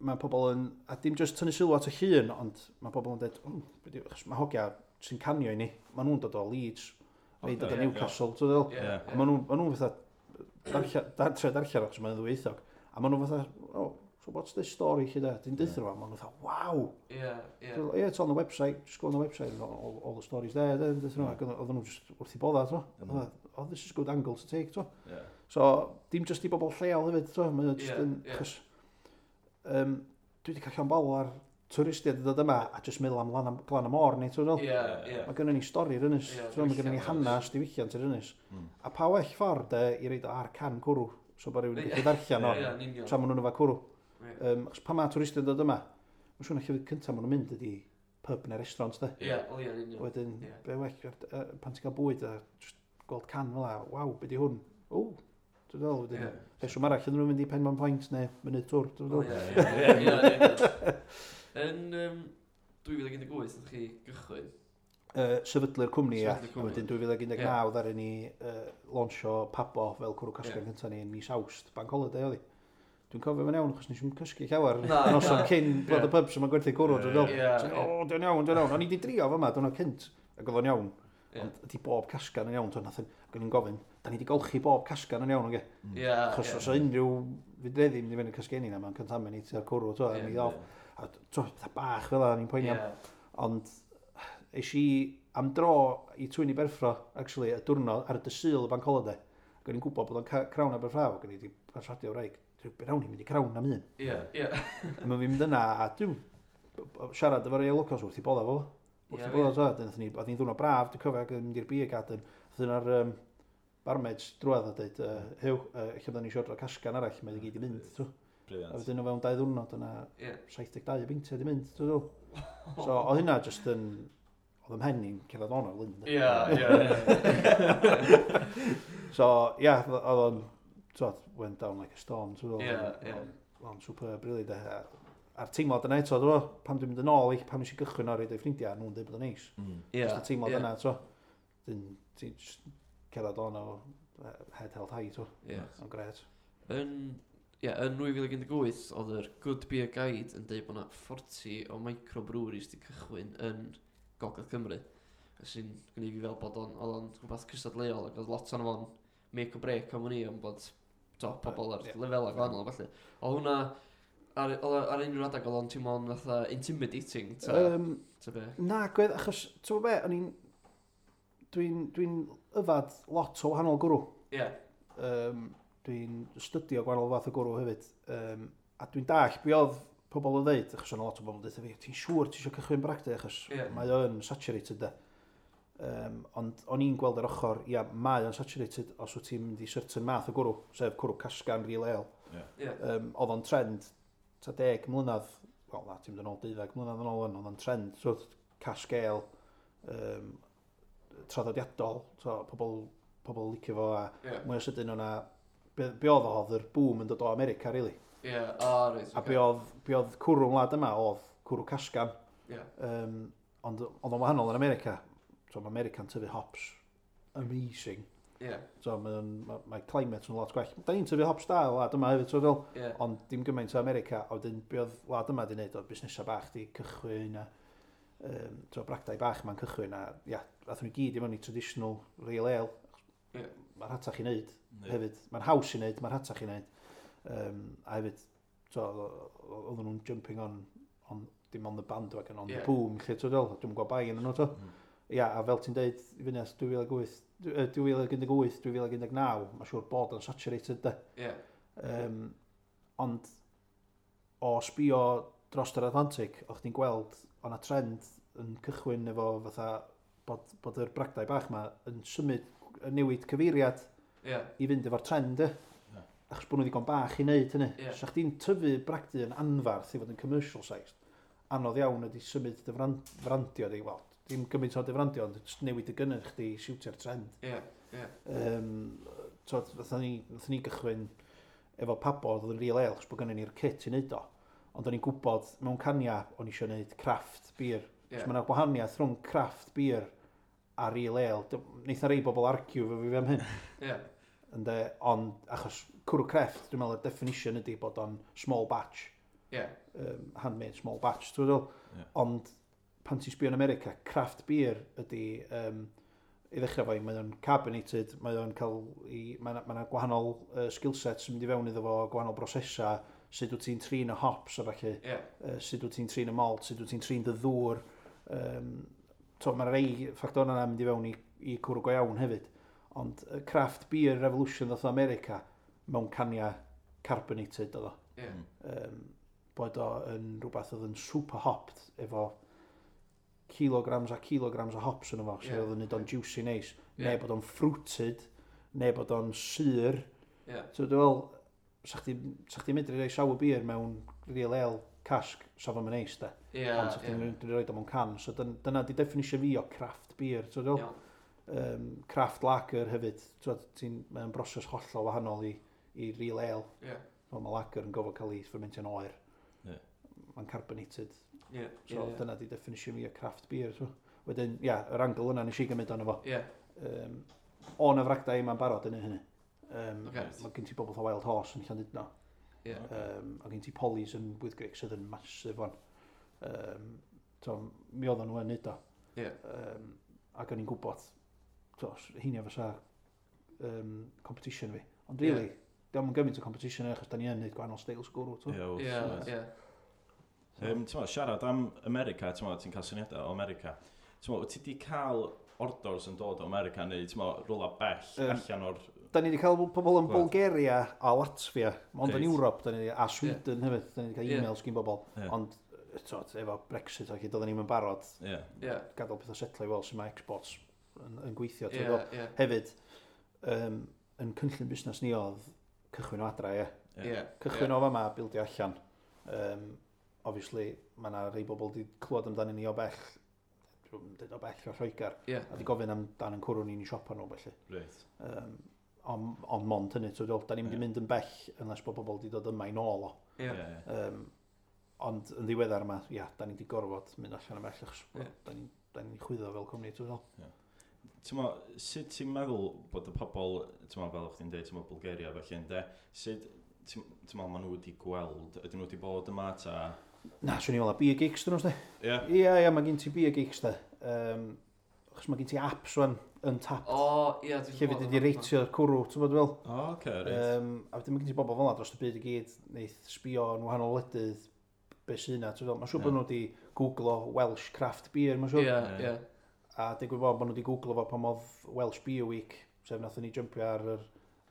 S3: mae pobl yn, a dim just tynnu sylw at y llun, ond mae pobl yn dweud, oh, be di- achos mae hogia sy'n canio i ni, maen nhw'n dod o Leeds, neu dod o
S2: Ocê,
S3: Newcastle, ti'n meddwl?
S1: Ie.
S2: Ie.
S3: A maen nhw'n ma nhw fatha, darllen, dar, trio darllen achos mae'n ddwyieithog, a maen nhw fatha, "Oh, so what's this story lle da?" Dwi'n deutha nhw, a maen nhw fatha, "Wow!"
S1: Ie. Ie.
S3: So, "Yeah, it's on the website, just go on the website, and all, all the stories there," then, deutha nhw, ac oedden nhw just wrth i bodda, ti'n
S2: Mm.
S3: "Oh, this is a good angle to take," ti'n
S2: Ie.
S3: So, dim just i bobl lleol hefyd, ti'n Mae'n just
S1: Ie,
S3: yn,
S1: ie.
S3: achos, um, dwi wedi cael llond bol ar twristiaid yn dod yma a jyst meddwl am lan, glan y môr ni, ti'n
S1: Ie, ie.
S3: Mae gynnon ni stori'r ynys,
S1: Ie,
S3: ti'n mae gynnon ni
S1: diwylliant,
S3: hanes diwylliant yr ynys.
S2: Mm.
S3: A pa well ffordd de, i roid o ar can cwrw, so bod rhywun yn
S1: Ie.
S3: gallu ddarllen o,
S1: Ie, yn union.
S3: tra maen nhw'n yfad cwrw.
S1: Ie.
S3: Um, achos pan mae twristiaid yn dod yma, mae'n siŵr na llefydd cyntaf maen nhw'n mynd ydi pub neu restaurant, de.
S1: Ie, o ie, yn union.
S3: Wedyn,
S1: Ie.
S3: be well, uh, pan ti'n cael bwyd a just gweld can fel 'a, waw, be di hwn? O, dwi'n fel, wedyn,
S1: Ie.
S3: rheswm arall ydyn nhw'n mynd i Penman Point neu Mynydd Twr, dwi'n
S1: O,
S3: fel.
S1: ie, ie, ie, ie, ie. Yn um, dwy fil un deg wyth, ydych chi gychwyn?
S3: Uh, sefydlu'r cwmni, ia.
S1: Sefydlu'r cwmni.
S3: A wedyn dwy fil un deg naw
S1: Ie.
S3: ddaru ni uh, launcho Pabo fel cwrw casgan
S1: Ie.
S3: cyntaf ni yn mis Awst, Bank Holiday oedd hi. Dwi'n cofio fo'n iawn, achos nes i'm cysgu llawer
S1: Na,
S3: noson
S1: na.
S3: cyn bod
S1: Ie.
S3: y pubs yma'n gwerthu cwrw, dwi'n fel.
S1: Ie,
S3: So,
S1: ie.
S3: O, dwi'n iawn, dwi'n iawn. O'n i di drio fo yma, dwi'n cynt, ac oedd o'n iawn.
S1: Ie.
S3: Ond ydi bob casgan yn iawn, nath ac o'n i'n gofyn, da ni di golchi bob casgan yn iawn, oce?
S1: Ie,
S3: Achos
S1: ie.
S3: os o unrhyw fudreddi mynd i fynd yn casgenni na, mae'n contaminate cwrw, to, a
S1: Ie.
S3: mi off. A to, fatha bach fel 'a, o'n i'n poeni am.
S1: Ie.
S3: Ond es i am dro i Twyni Berffro, actually, y diwrnod ar y dydd Sul y Bank Holiday. Ac o'n i'n gwybod bod o'n ca- Crown Aberffraw, ac o'n i wedi perswadio wraig, be rawn ni'n mynd i Crown am un.
S1: Ie, ie.
S3: A mae'n fi'n mynd yna, a dwi'n siarad efo'r rei locals wrth i bodda fo. Wrth
S1: Ie,
S3: i bodda, to, nathon ni, oedd hi'n ddwrnod braf, dwi'n cofio, ac yn mynd i'r beer garden. Oedd yna'r um, barmaids drwadd a dweud, uh, Huw, uh, lle byddwn ni eisiau ordro casgan arall, mae i gyd i mynd, to. A
S2: Brilliant.
S3: wedyn o fewn dau ddwrnod yna
S1: Ie.
S3: saith deg dau o beintiau di mynd, ti'n dweud? So, oedd hynna just yn... Oedd ym mhen i'n cerdded on o'r lyn.
S1: Ie, ie, ie.
S3: So, ie, yeah, oedd o'n... T'wod, went down like a storm, ti'n
S1: Ie, ie.
S3: Oedd o'n superb, really, de. A- A'r teimlad yna eto, dwi'n pan dwi'n mynd yn ôl i, pan nes i gychwyn ar ei ffrindiau, nhw'n dweud bod o'n neis.
S2: Mm.
S1: Ie.
S3: Just y teimlad
S1: ie.
S3: yna, t'o. Dyn, ti'n just cerdded on o eh, head held high, t'o.
S1: Ie.
S3: O'n gret.
S1: Yn, ie, yn dwy fil un deg wyth, oedd yr Good Beer Guide yn dweud bod yna forty o microbreweries di cychwyn yn Gogledd Cymru. Sy'n gwneud fi fel bod o'n, oedd o'n rhywbeth cystadleuol ac oedd lot o'n fo'n make or break am wn i, ond bod to, pobl ar
S3: Ie.
S1: lefelau gwahanol a felly. Oedd hwnna, ar, oedd o- ar unrhyw adeg oedd o'n teimlo'n fatha intimidating, ta,
S3: Um,
S1: ta be?
S3: Na, gwedd, achos, ti'n gwybod be, o'n i'n... Dwi'n dwi yfad lot o wahanol gwrw.
S1: Ie,
S3: Um, dwi'n stydio gwahanol fath o gwrw hefyd. Um, a dwi'n dallt be oedd pobl yn dweud, achos o'na lot o bobl yn dweud fi, ti'n siŵr ti eisiau cychwyn bragdy, achos
S1: Ie.
S3: mae o'n saturated de. Um, ond o'n i'n gweld yr ochr, ia, mae o'n saturated os wyt ti'n mynd i certain math o gwrw, sef cwrw casgan real ale.
S1: ie,
S3: Um, oedd o'n trend, ta deg mlynedd, wel na, ti'n mynd yn ôl deuddeg mlynedd yn ôl, oedd o'n trend, so cask ale, um, traddodiadol, so pobl, pobl licio fo, a
S1: ie,
S3: mwy o sydyn o'na, be, be oedd o, oedd yr boom yn dod o America, really.
S1: ie, o, reit,
S3: A be oedd, be oedd cwrw wlad yma, oedd cwrw casgan,
S1: Ie,
S3: um, ond oedd o'n wahanol yn America. So mae America'n tyfu hops amazing.
S1: ie,
S3: So mae, mae, mae climate yn lot gwell. Da ni'n tyfu hops da o wlad yma hefyd, so fel,
S1: ie,
S3: ond dim gymaint o America, a wedyn be oedd wlad yma di wneud, oedd busnesau bach di cychwyn a um, so bragdai bach ma'n cychwyn a ia, athon ni gyd i mewn i traditional real ale.
S1: Ie.
S3: Mae'n rhatach i wneud
S2: Yndi.
S3: hefyd. Mae'n haws i wneud, mae'n rhatach i wneud. Um, a hefyd, so, oedden nhw'n jumping on, on dim on the bandwagon, on
S1: Ie.
S3: the boom, lle ti'n fel, dwi'n gwybod bai yn nhw, to.
S2: Mm.
S3: Ia, a fel ti'n deud, i fyny at dwy fil wyth, dwy fil un deg wyth, dwy fil un deg naw, mae'n siŵr bod o'n saturated, de.
S1: ie,
S3: Um, ond o sbio dros yr Atlantic, o'ch chdi'n gweld o'na trend yn cychwyn efo fatha bod, bod yr bragdai bach ma yn symud, yn newid cyfeiriad
S1: ie,
S3: i fynd efo'r trend, e.
S2: Ie.
S3: Achos bod nhw ddigon bach i wneud hynny.
S1: Ie.
S3: Sa chdi'n tyfu bragdy yn anfarth i fod yn commercial sized, anodd iawn ydy symud dy fran- frandio di, wel, dim gymaint o dy frandio, ond jyst newid y gynnyrch chdi i siwtio'r trend.
S1: ie, ie,
S3: Um, so, nathon ni, nathon ni gychwyn efo Pabo, oedd yn real ale, achos bod gynnon ni'r kit i wneud o. Ond o'n i'n gwybod mewn cania, o'n i eisiau gwneud craft beer.
S1: ie,
S3: Yeah. So mae yna gwahaniaeth rhwng craft beer a real ale. Dy- Neith na rei bobl argue efo fi am hyn.
S1: ie,
S3: Ynde, ond achos cwrw crefft, dwi'n meddwl y definition ydy bod o'n small batch,
S1: ie,
S3: um, handmade small batch, dwi'n meddwl.
S2: Ie.
S3: Ond pan ti'n sbio yn America, craft beer ydy, um, i ddechrau fo, mae o'n carbonated, mae o'n cael, i, mae yna ma gwahanol uh, skill sets yn mynd i fewn iddo fo, gwahanol brosesau, sut wyt ti'n trin y hops a falle,
S1: ie,
S3: uh, sut wyt ti'n trin y malt, sut wyt ti'n trin dy ddŵr. Um, to, mae rei ffactor yna mynd i fewn i, i cwrw go iawn hefyd. Ond y craft beer revolution ddoth o America mewn cania carbonated oedd o.
S1: ie,
S2: Mm.
S3: Um, Bod o yn rhywbeth oedd yn super hopped efo kilograms a kilograms o hops yn efo, so
S1: Ie.
S3: oedd yn neud o'n juicy neis.
S1: Ie.
S3: Neu bod o'n fruited, neu bod o'n sur.
S1: Ie.
S3: So dwi'n fel, sa chdi, sa chdi medru rhoi sour beer mewn real ale cask, sa fo'n neis de.
S1: Ie,
S3: Ond sa chdi'n
S1: ie.
S3: medru rhoi o mewn can. So dyn- dyna di definition fi o craft beer. So dwi'n fel,
S1: Iawn.
S3: um, craft lager hefyd. So ti'n, mae'n broses hollol wahanol i, i real ale.
S1: Ie.
S3: So mae lager yn gofod cael ei fermentio'n oer.
S2: Ie.
S3: Mae'n carbonated.
S1: Ie.
S3: So
S1: Ie.
S3: dyna di definition fi o craft beer. So, wedyn, ia, yr angle yna nes i gymryd arno fo.
S1: Ie.
S3: Um, o na fragdai yma'n barod yn hynny. Um,
S1: Ocê.
S3: Mae gen ti bobl fatha Wild Horse yn Llandudno.
S1: Ie.
S3: Um, a gen ti Polly's yn Wyddgrug sydd yn massive one. Um, so, mi oedden nhw yn neud o.
S1: Ie.
S3: Um, ac o'n i'n gwybod, to, heina fysa um, competition fi. Ond really, yeah. Dio'm yn gymaint o competition achos da ni yn neud gwahanol styles gwrw. to.
S2: Ie,
S1: Ie,
S2: oes.
S1: ie.
S2: Um, ti'n mo, siarad am America, ti'n mo, ti'n cael syniadau o America. Ti'n mo, wyt ti di cael orders yn dod o America neu, ti'n mo, rwla bell
S3: Yym,
S2: allan o'r...
S3: Da ni wedi cael pobl yn
S2: Gwlad.
S3: Bulgaria a Latvia, ond yn
S2: Reit.
S3: Ewrop, da ni, a Sweden hefyd, da ni wedi cael
S1: Ie.
S3: e-mails gyn bobl.
S2: Ie.
S3: Ond, t'od, efo Brexit ac doedden ni'n barod,
S2: Ie.
S1: Ie.
S3: gadael pethau setlo i weld sut mae exports yn, yn gweithio.
S1: Ie,
S3: ti'n gwbod?
S1: ie.
S3: Hefyd, um, yn cynllun busnes ni oedd cychwyn o adra, ie.
S1: Ie.
S3: Cychwyn o fama, bildio allan. Um, obviously, mae yna rei bobl wedi clywed amdano ni o bell, dwi'n dweud o bell o Lloegr,
S1: Ie.
S3: a wedi gofyn amdan yn cwrw ni'n i siopa nhw, felly.
S2: Reit.
S3: Um, ond on mond hynny, so, da ni'n mynd i
S2: Ie.
S3: mynd yn bell unless bod bobl wedi dod yma i nôl o.
S1: Ie.
S2: Ie, ie.
S3: Um, ond yn ddiweddar yma, ia, da ni wedi gorfod mynd allan yn bell, achos
S1: Ie.
S3: da ni'n da ni chwyddo fel cwmni, ti'n fel.
S2: Ti'n mo, sut ti'n meddwl bod y pobl, ti'n mo, fel o'ch ti'n dweud, ti'n mo, Bulgaria felly, ynde, sut, ti'n ti'n meddwl maen nhw wedi gweld, ydyn nhw wedi bod yma, ta...
S3: Na, swn i'n meddwl, beer geeks dyn nhw, sdi.
S2: Ie.
S3: Ie, ie, mae gen ti beer geeks, de. Um, achos mae gen ti apps wan, Untappd,
S1: O, ie. dwi'n
S3: lle
S1: gwbod
S3: fydd wedi
S1: am hwnna.
S3: reitio'r cwrw, ti'n bod fel?
S2: O, oce, reit.
S3: Um, a wedyn mae gen ti bobl fel 'na dros y byd i gyd, neith sbio yn wahanol wledydd, be sy'n yna, ti'n fel? Mae'n siŵr bod
S2: Ie.
S3: nhw wedi googlo Welsh craft beer, mae'n siŵr.
S1: Ie,
S2: Ie.
S1: ie.
S3: A digwydd bod bod nhw wedi googlo fo pan oedd Welsh Beer Week, sef nathon ni jumpio ar yr,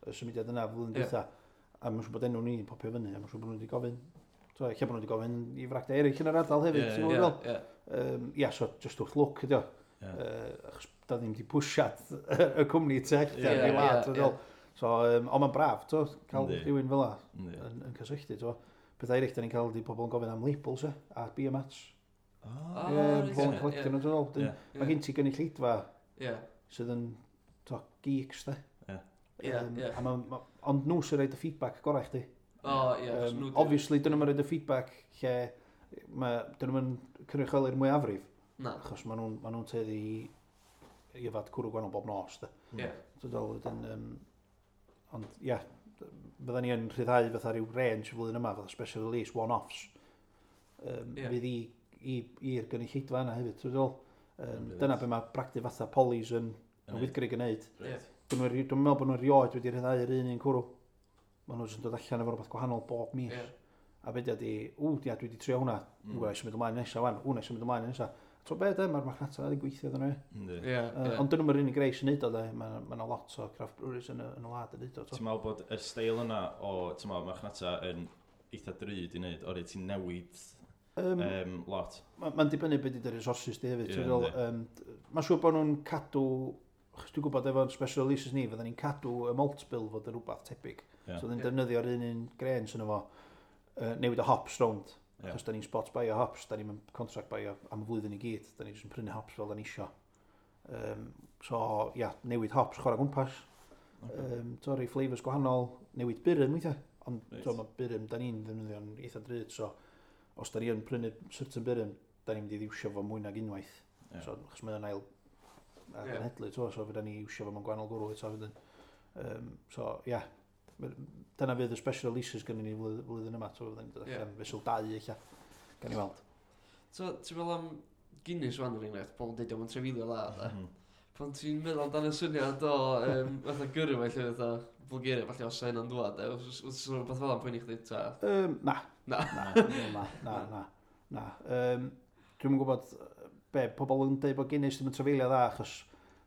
S3: y symudiad yna flwyddyn
S1: Ie.
S3: dwytha. A mae'n siŵr bod enw ni'n popio fyny, a mae'n siŵr bod nhw wedi gofyn. So, lle bod nhw wedi gofyn i fragdai eraill yn yr ardal hefyd,
S2: Ie,
S3: ti'n
S1: Ie,
S3: gwybod fel?
S1: ie.
S3: Um, ia, so just wrth lwc ydi o.
S2: Ie.
S3: Uh, achos da ddim wedi pwsiad y cwmni tu allan
S1: Ie,
S3: i wlad,
S1: ie,
S3: ti'n fel. So, um, ond mae'n braf, to, cael
S2: Yndi.
S3: rhywun fel 'a
S2: Yndi.
S3: yn, yn cysylltu, to. Pethau eraill, da ni'n cael di pobl yn gofyn am labels, e, a beer mats.
S2: O,
S1: Ah,
S3: Ie,
S1: reit,
S3: pobl yn
S1: ie,
S3: collectio
S1: ie.
S3: nhw, ti'n fel.
S2: Ie.
S1: Ie.
S3: Mae gen ti gynulleidfa
S1: Ie.
S3: sydd yn, to, geeks, de.
S2: Ie.
S1: Ie,
S3: Yym,
S1: ie.
S3: a ma, ma, ond nhw sy'n rhoid y feedback gorau chdi.
S1: O, ie. achos
S3: Um,
S1: nhw 'di-
S3: obviously, dyn nhw'n rhoid y feedback lle ma, dyn nhw'n cynrychioli'r mwyafrif,
S1: Na.
S3: achos maen nhw'n ma nhw tueddu i, i yfad cwrw gwahanol bob nos. De.
S1: Ie.
S3: So, dol, wedyn, um, ond, ie, fydda ni yn rhyddhau fatha rhyw range y flwyddyn yma, fatha special release, one-offs. Um,
S1: Ie.
S3: Fydd i, i, i'r gynulleidfa yna hefyd. So, dol, um,
S2: Brilliant.
S3: dyna be mae bragdy fatha Polly's yn, yn
S2: Yn
S3: Wyddgrug yn neud.
S1: Ie.
S3: Dwi'n meddwl dwi'n meddwl bod nhw erioed wedi rhyddhau'r un un cwrw. Maen nhw jyst yn dod allan efo rhywbeth gwahanol bob mis.
S1: Ie.
S3: A be di, ww, dia, dwi wedi trio hwnna.
S2: Mm.
S3: Mm. Ww, symud ymlaen nesaf wan. Ww, na i symud ymlaen nesaf. To be, de, mae'r marchnata wedi gweithio iddyn nhw. ie.
S2: Yndi.
S1: Ie.
S3: Uh,
S1: ie.
S3: ond dyn nhw'n yr unig rei sy'n neud o, de. Mae ma 'na lot o craft breweries yn y, yn y wlad yn neud o. to.
S2: Ti'n meddwl bod y steil yna o, ti'n meddwl, marchnata yn eitha drud i wneud, o'r ti'n newid
S3: Um,
S2: um, lot.
S3: Mae'n ma dibynnu beth ydy'r resources di hefyd.
S2: Ie,
S3: Yeah, fel,
S2: yndi.
S3: um, mae'n siŵr bod nhw'n cadw, achos dwi'n gwybod efo'n special releases ni, fydden ni'n cadw y malt bill fod yn rhywbeth tebyg.
S2: Ie.
S3: So, fydden ni'n
S1: Ie.
S3: defnyddio'r un un grains yn efo, uh, newid y hops rownd.
S2: Ie.
S3: Achos da ni'n spot buy o hops, da ni'n contract buy o am y flwyddyn i gyd, da ni'n jyst yn prynu hops fel da ni isio. Um, so, ia, newid hops, chwarae gwmpas.
S2: Ocê.
S3: Um, to, rhoi flavours gwahanol, newid burum weithiau. Ond
S2: Reit.
S3: to, mae burum da ni'n ddefnyddio'n eitha drud, so os da ni yn prynu certain burum, da ni'n mynd i ddiwsio fo mwy nag unwaith.
S2: Ie.
S3: So, achos mae o'n ail
S1: Ie.
S3: ail to, so fydda ni iwsio fo mewn gwahanol gwrw eto wedyn. Um, so, ia, yeah. Dyna fydd y special releases gynnu ni flwyddyn, flwyddyn yma, so fydda ni'n dod
S1: Ie.
S3: allan fesul dau eich, gan i weld.
S1: So, ti'n meddwl am Guinness wan er enghraifft, pobl yn deud o'n trefilio dda, de.
S2: Mhm.
S1: Pan ti'n meddwl amdan y syniad o um, fatha gyrru fe, lle fatha Bulgaria, falle os yna'n dŵad, de, os os- os rhywbeth fel 'na'n poeni chdi, ta.
S3: Um, na.
S1: Na.
S3: Na, na, na, na. na. Um, dwi'm yn gwybod yy, be, pobl yn dweud bod Guinness ddim yn trafeilio dda, achos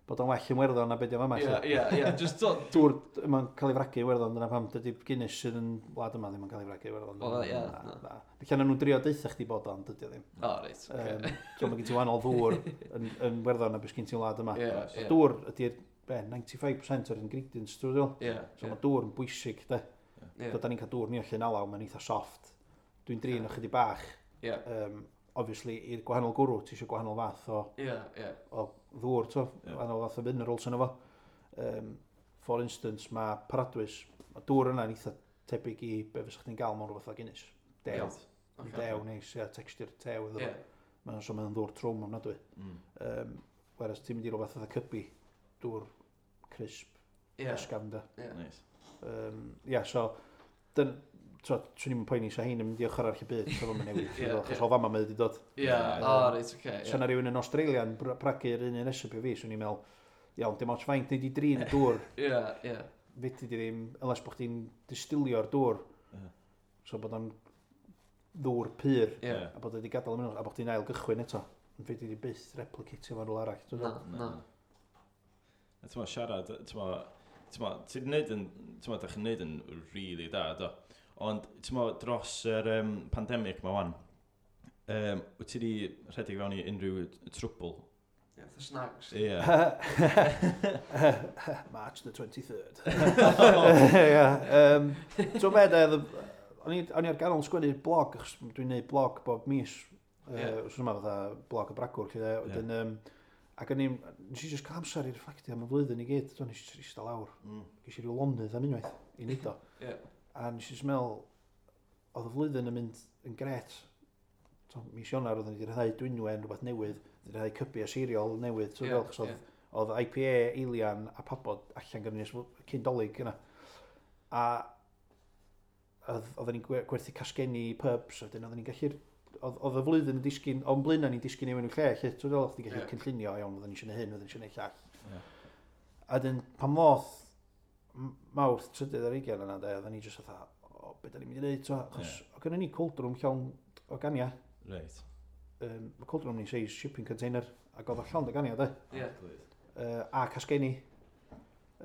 S3: Bod o'n well yn Werddon na beth yma.
S1: Ie, ie, ie, just so...
S3: Dŵr yma'n cael ei fragu i Werddon, dyna pam dydy Guinness sydd yn wlad yma ddim yn cael ei fragu i Werddon.
S1: O, ie,
S3: Na,
S1: na.
S3: na. Felly nhw'n drio deutha chdi bod o'n, dydy o ddim.
S1: O, reit, oce.
S3: Um, so mae gen ti wahanol ddŵr yn, yn Werddon na beth gen ti'n wlad yma.
S1: Ie, ie.
S3: Dŵr ydy'r, be, ninety-five percent o'r ingredients, dwi'n meddwl.
S1: Ie,
S3: So
S1: ie,
S3: mae dŵr yn bwysig, de.
S1: ie.
S3: So, da ni'n cael dŵr ni o Llyn Alaw, mae'n eitha soft. Dwi'n drin o chydig bach.
S1: Ie,
S3: Um, obviously, i'r gwahanol gwrw, ti eisiau gwahanol fath o,
S1: ie, ie.
S3: o ddŵr, to,
S2: Ie.
S3: gwahanol fath o minerals yno fo. Um, for instance, mae Paradwys, mae dŵr yna'n eitha tebyg i be fysa chdi'n gael mewn rhywbeth o Guinness. Dew.
S2: Reit.
S1: Ocê.
S3: Dew, neis, ia, texture tew iddo
S1: Ie,
S3: fo. Mae'n so mae'n ddŵr trwm ofnadwy.
S2: Mm.
S3: Um, whereas ti'n mynd i rhywbeth fatha Cybi, dŵr crisp,
S1: ie,
S3: ysgafn de.
S1: ie.
S2: Nice.
S3: Um, ia, so, dyn, so, swn i'n poeni sa hein yn mynd i ochr arall y byd, so fo'n newid,
S1: Ie,
S3: achos
S1: ie.
S3: o fama mae wedi dod.
S1: Ie, o, reit, oce,
S3: So
S1: ie.
S3: na rhywun yn Australia'n br- bragu'r un un recipe fi, swn i'n meddwl, iawn, dim ots faint nei di drin y dŵr,
S1: Ie, ie.
S3: fedri di ddim, unless bod chdi'n distilio'r dŵr,
S2: Ie.
S3: so bod o'n ddŵr pur,
S1: Ie.
S3: a bod wedi gadael y minerals, a bod chdi'n ail gychwyn eto. Ond fedri di byth replicatio fo'n rhywle arall. Dwi'n
S1: Na,
S3: meddwl.
S1: na.
S2: A ti'n mo, siarad, ti'n mo, ti'n mo, ti'n neud yn, ti'n mo, da chi'n neud yn really da, do. Ond, ti'n mo, dros yr um, pandemic ma wan, um, wyt ti di rhedeg fewn i unrhyw trwbl?
S1: Ie, the snags.
S2: Ie.
S3: March the twenty-third. Yeah, um, so be, de, o'n i o'n i ar ganol sgwennu blog, achos dwi'n neud blog bob mis.
S1: Ie.
S3: Uh, Wsos yma fatha blog y bragwr, lle, de, wedyn, um, ac o'n i, nes i just cael amser i reflectio am y flwyddyn i gyd, so nes i just eistedd lawr.
S2: Mm.
S3: Ges i ryw lonydd am unwaith i neud o.
S1: Ie.
S3: A nes i just meddwl, oedd y flwyddyn yn mynd yn gret. So, mis Ionawr oedden ni wedi rhyddhau Dwynwen, rhywbeth newydd, wedi rhyddhau Cybi a Seiriol newydd. So,
S1: Ie,
S3: yeah, achos oedd,
S1: ie.
S3: oedd I P A, Eilian a Pabod allan gyda ni ers cyn Dolig yna. A oedd, oedden ni'n gwe- gwerthu casgenni i pubs, a wedyn oedden ni'n gallu... Oedd, oedd y flwyddyn yn disgyn, o'n blaenau ni'n disgyn i mewn i'w lle, lle, ti'n meddwl, chdi'n gallu
S1: Ie.
S3: cynllunio, iawn, oedden ni eisiau neud hyn, oedden ni eisiau neud llall.
S2: Ie.
S3: A wedyn, pan ddoth m- Mawrth trydydd ar hugain yna, de, oedden ni jyst fatha, o, be da ni'n mynd i wneud, to, achos
S2: Ie.
S3: oedd gynnon ni cold room llawn o gania.
S2: Reit.
S3: Um, mae cold room ni'n size shipping container, ac oedd o llawn o gania, de.
S1: Ie.
S3: Uh, a casgenni.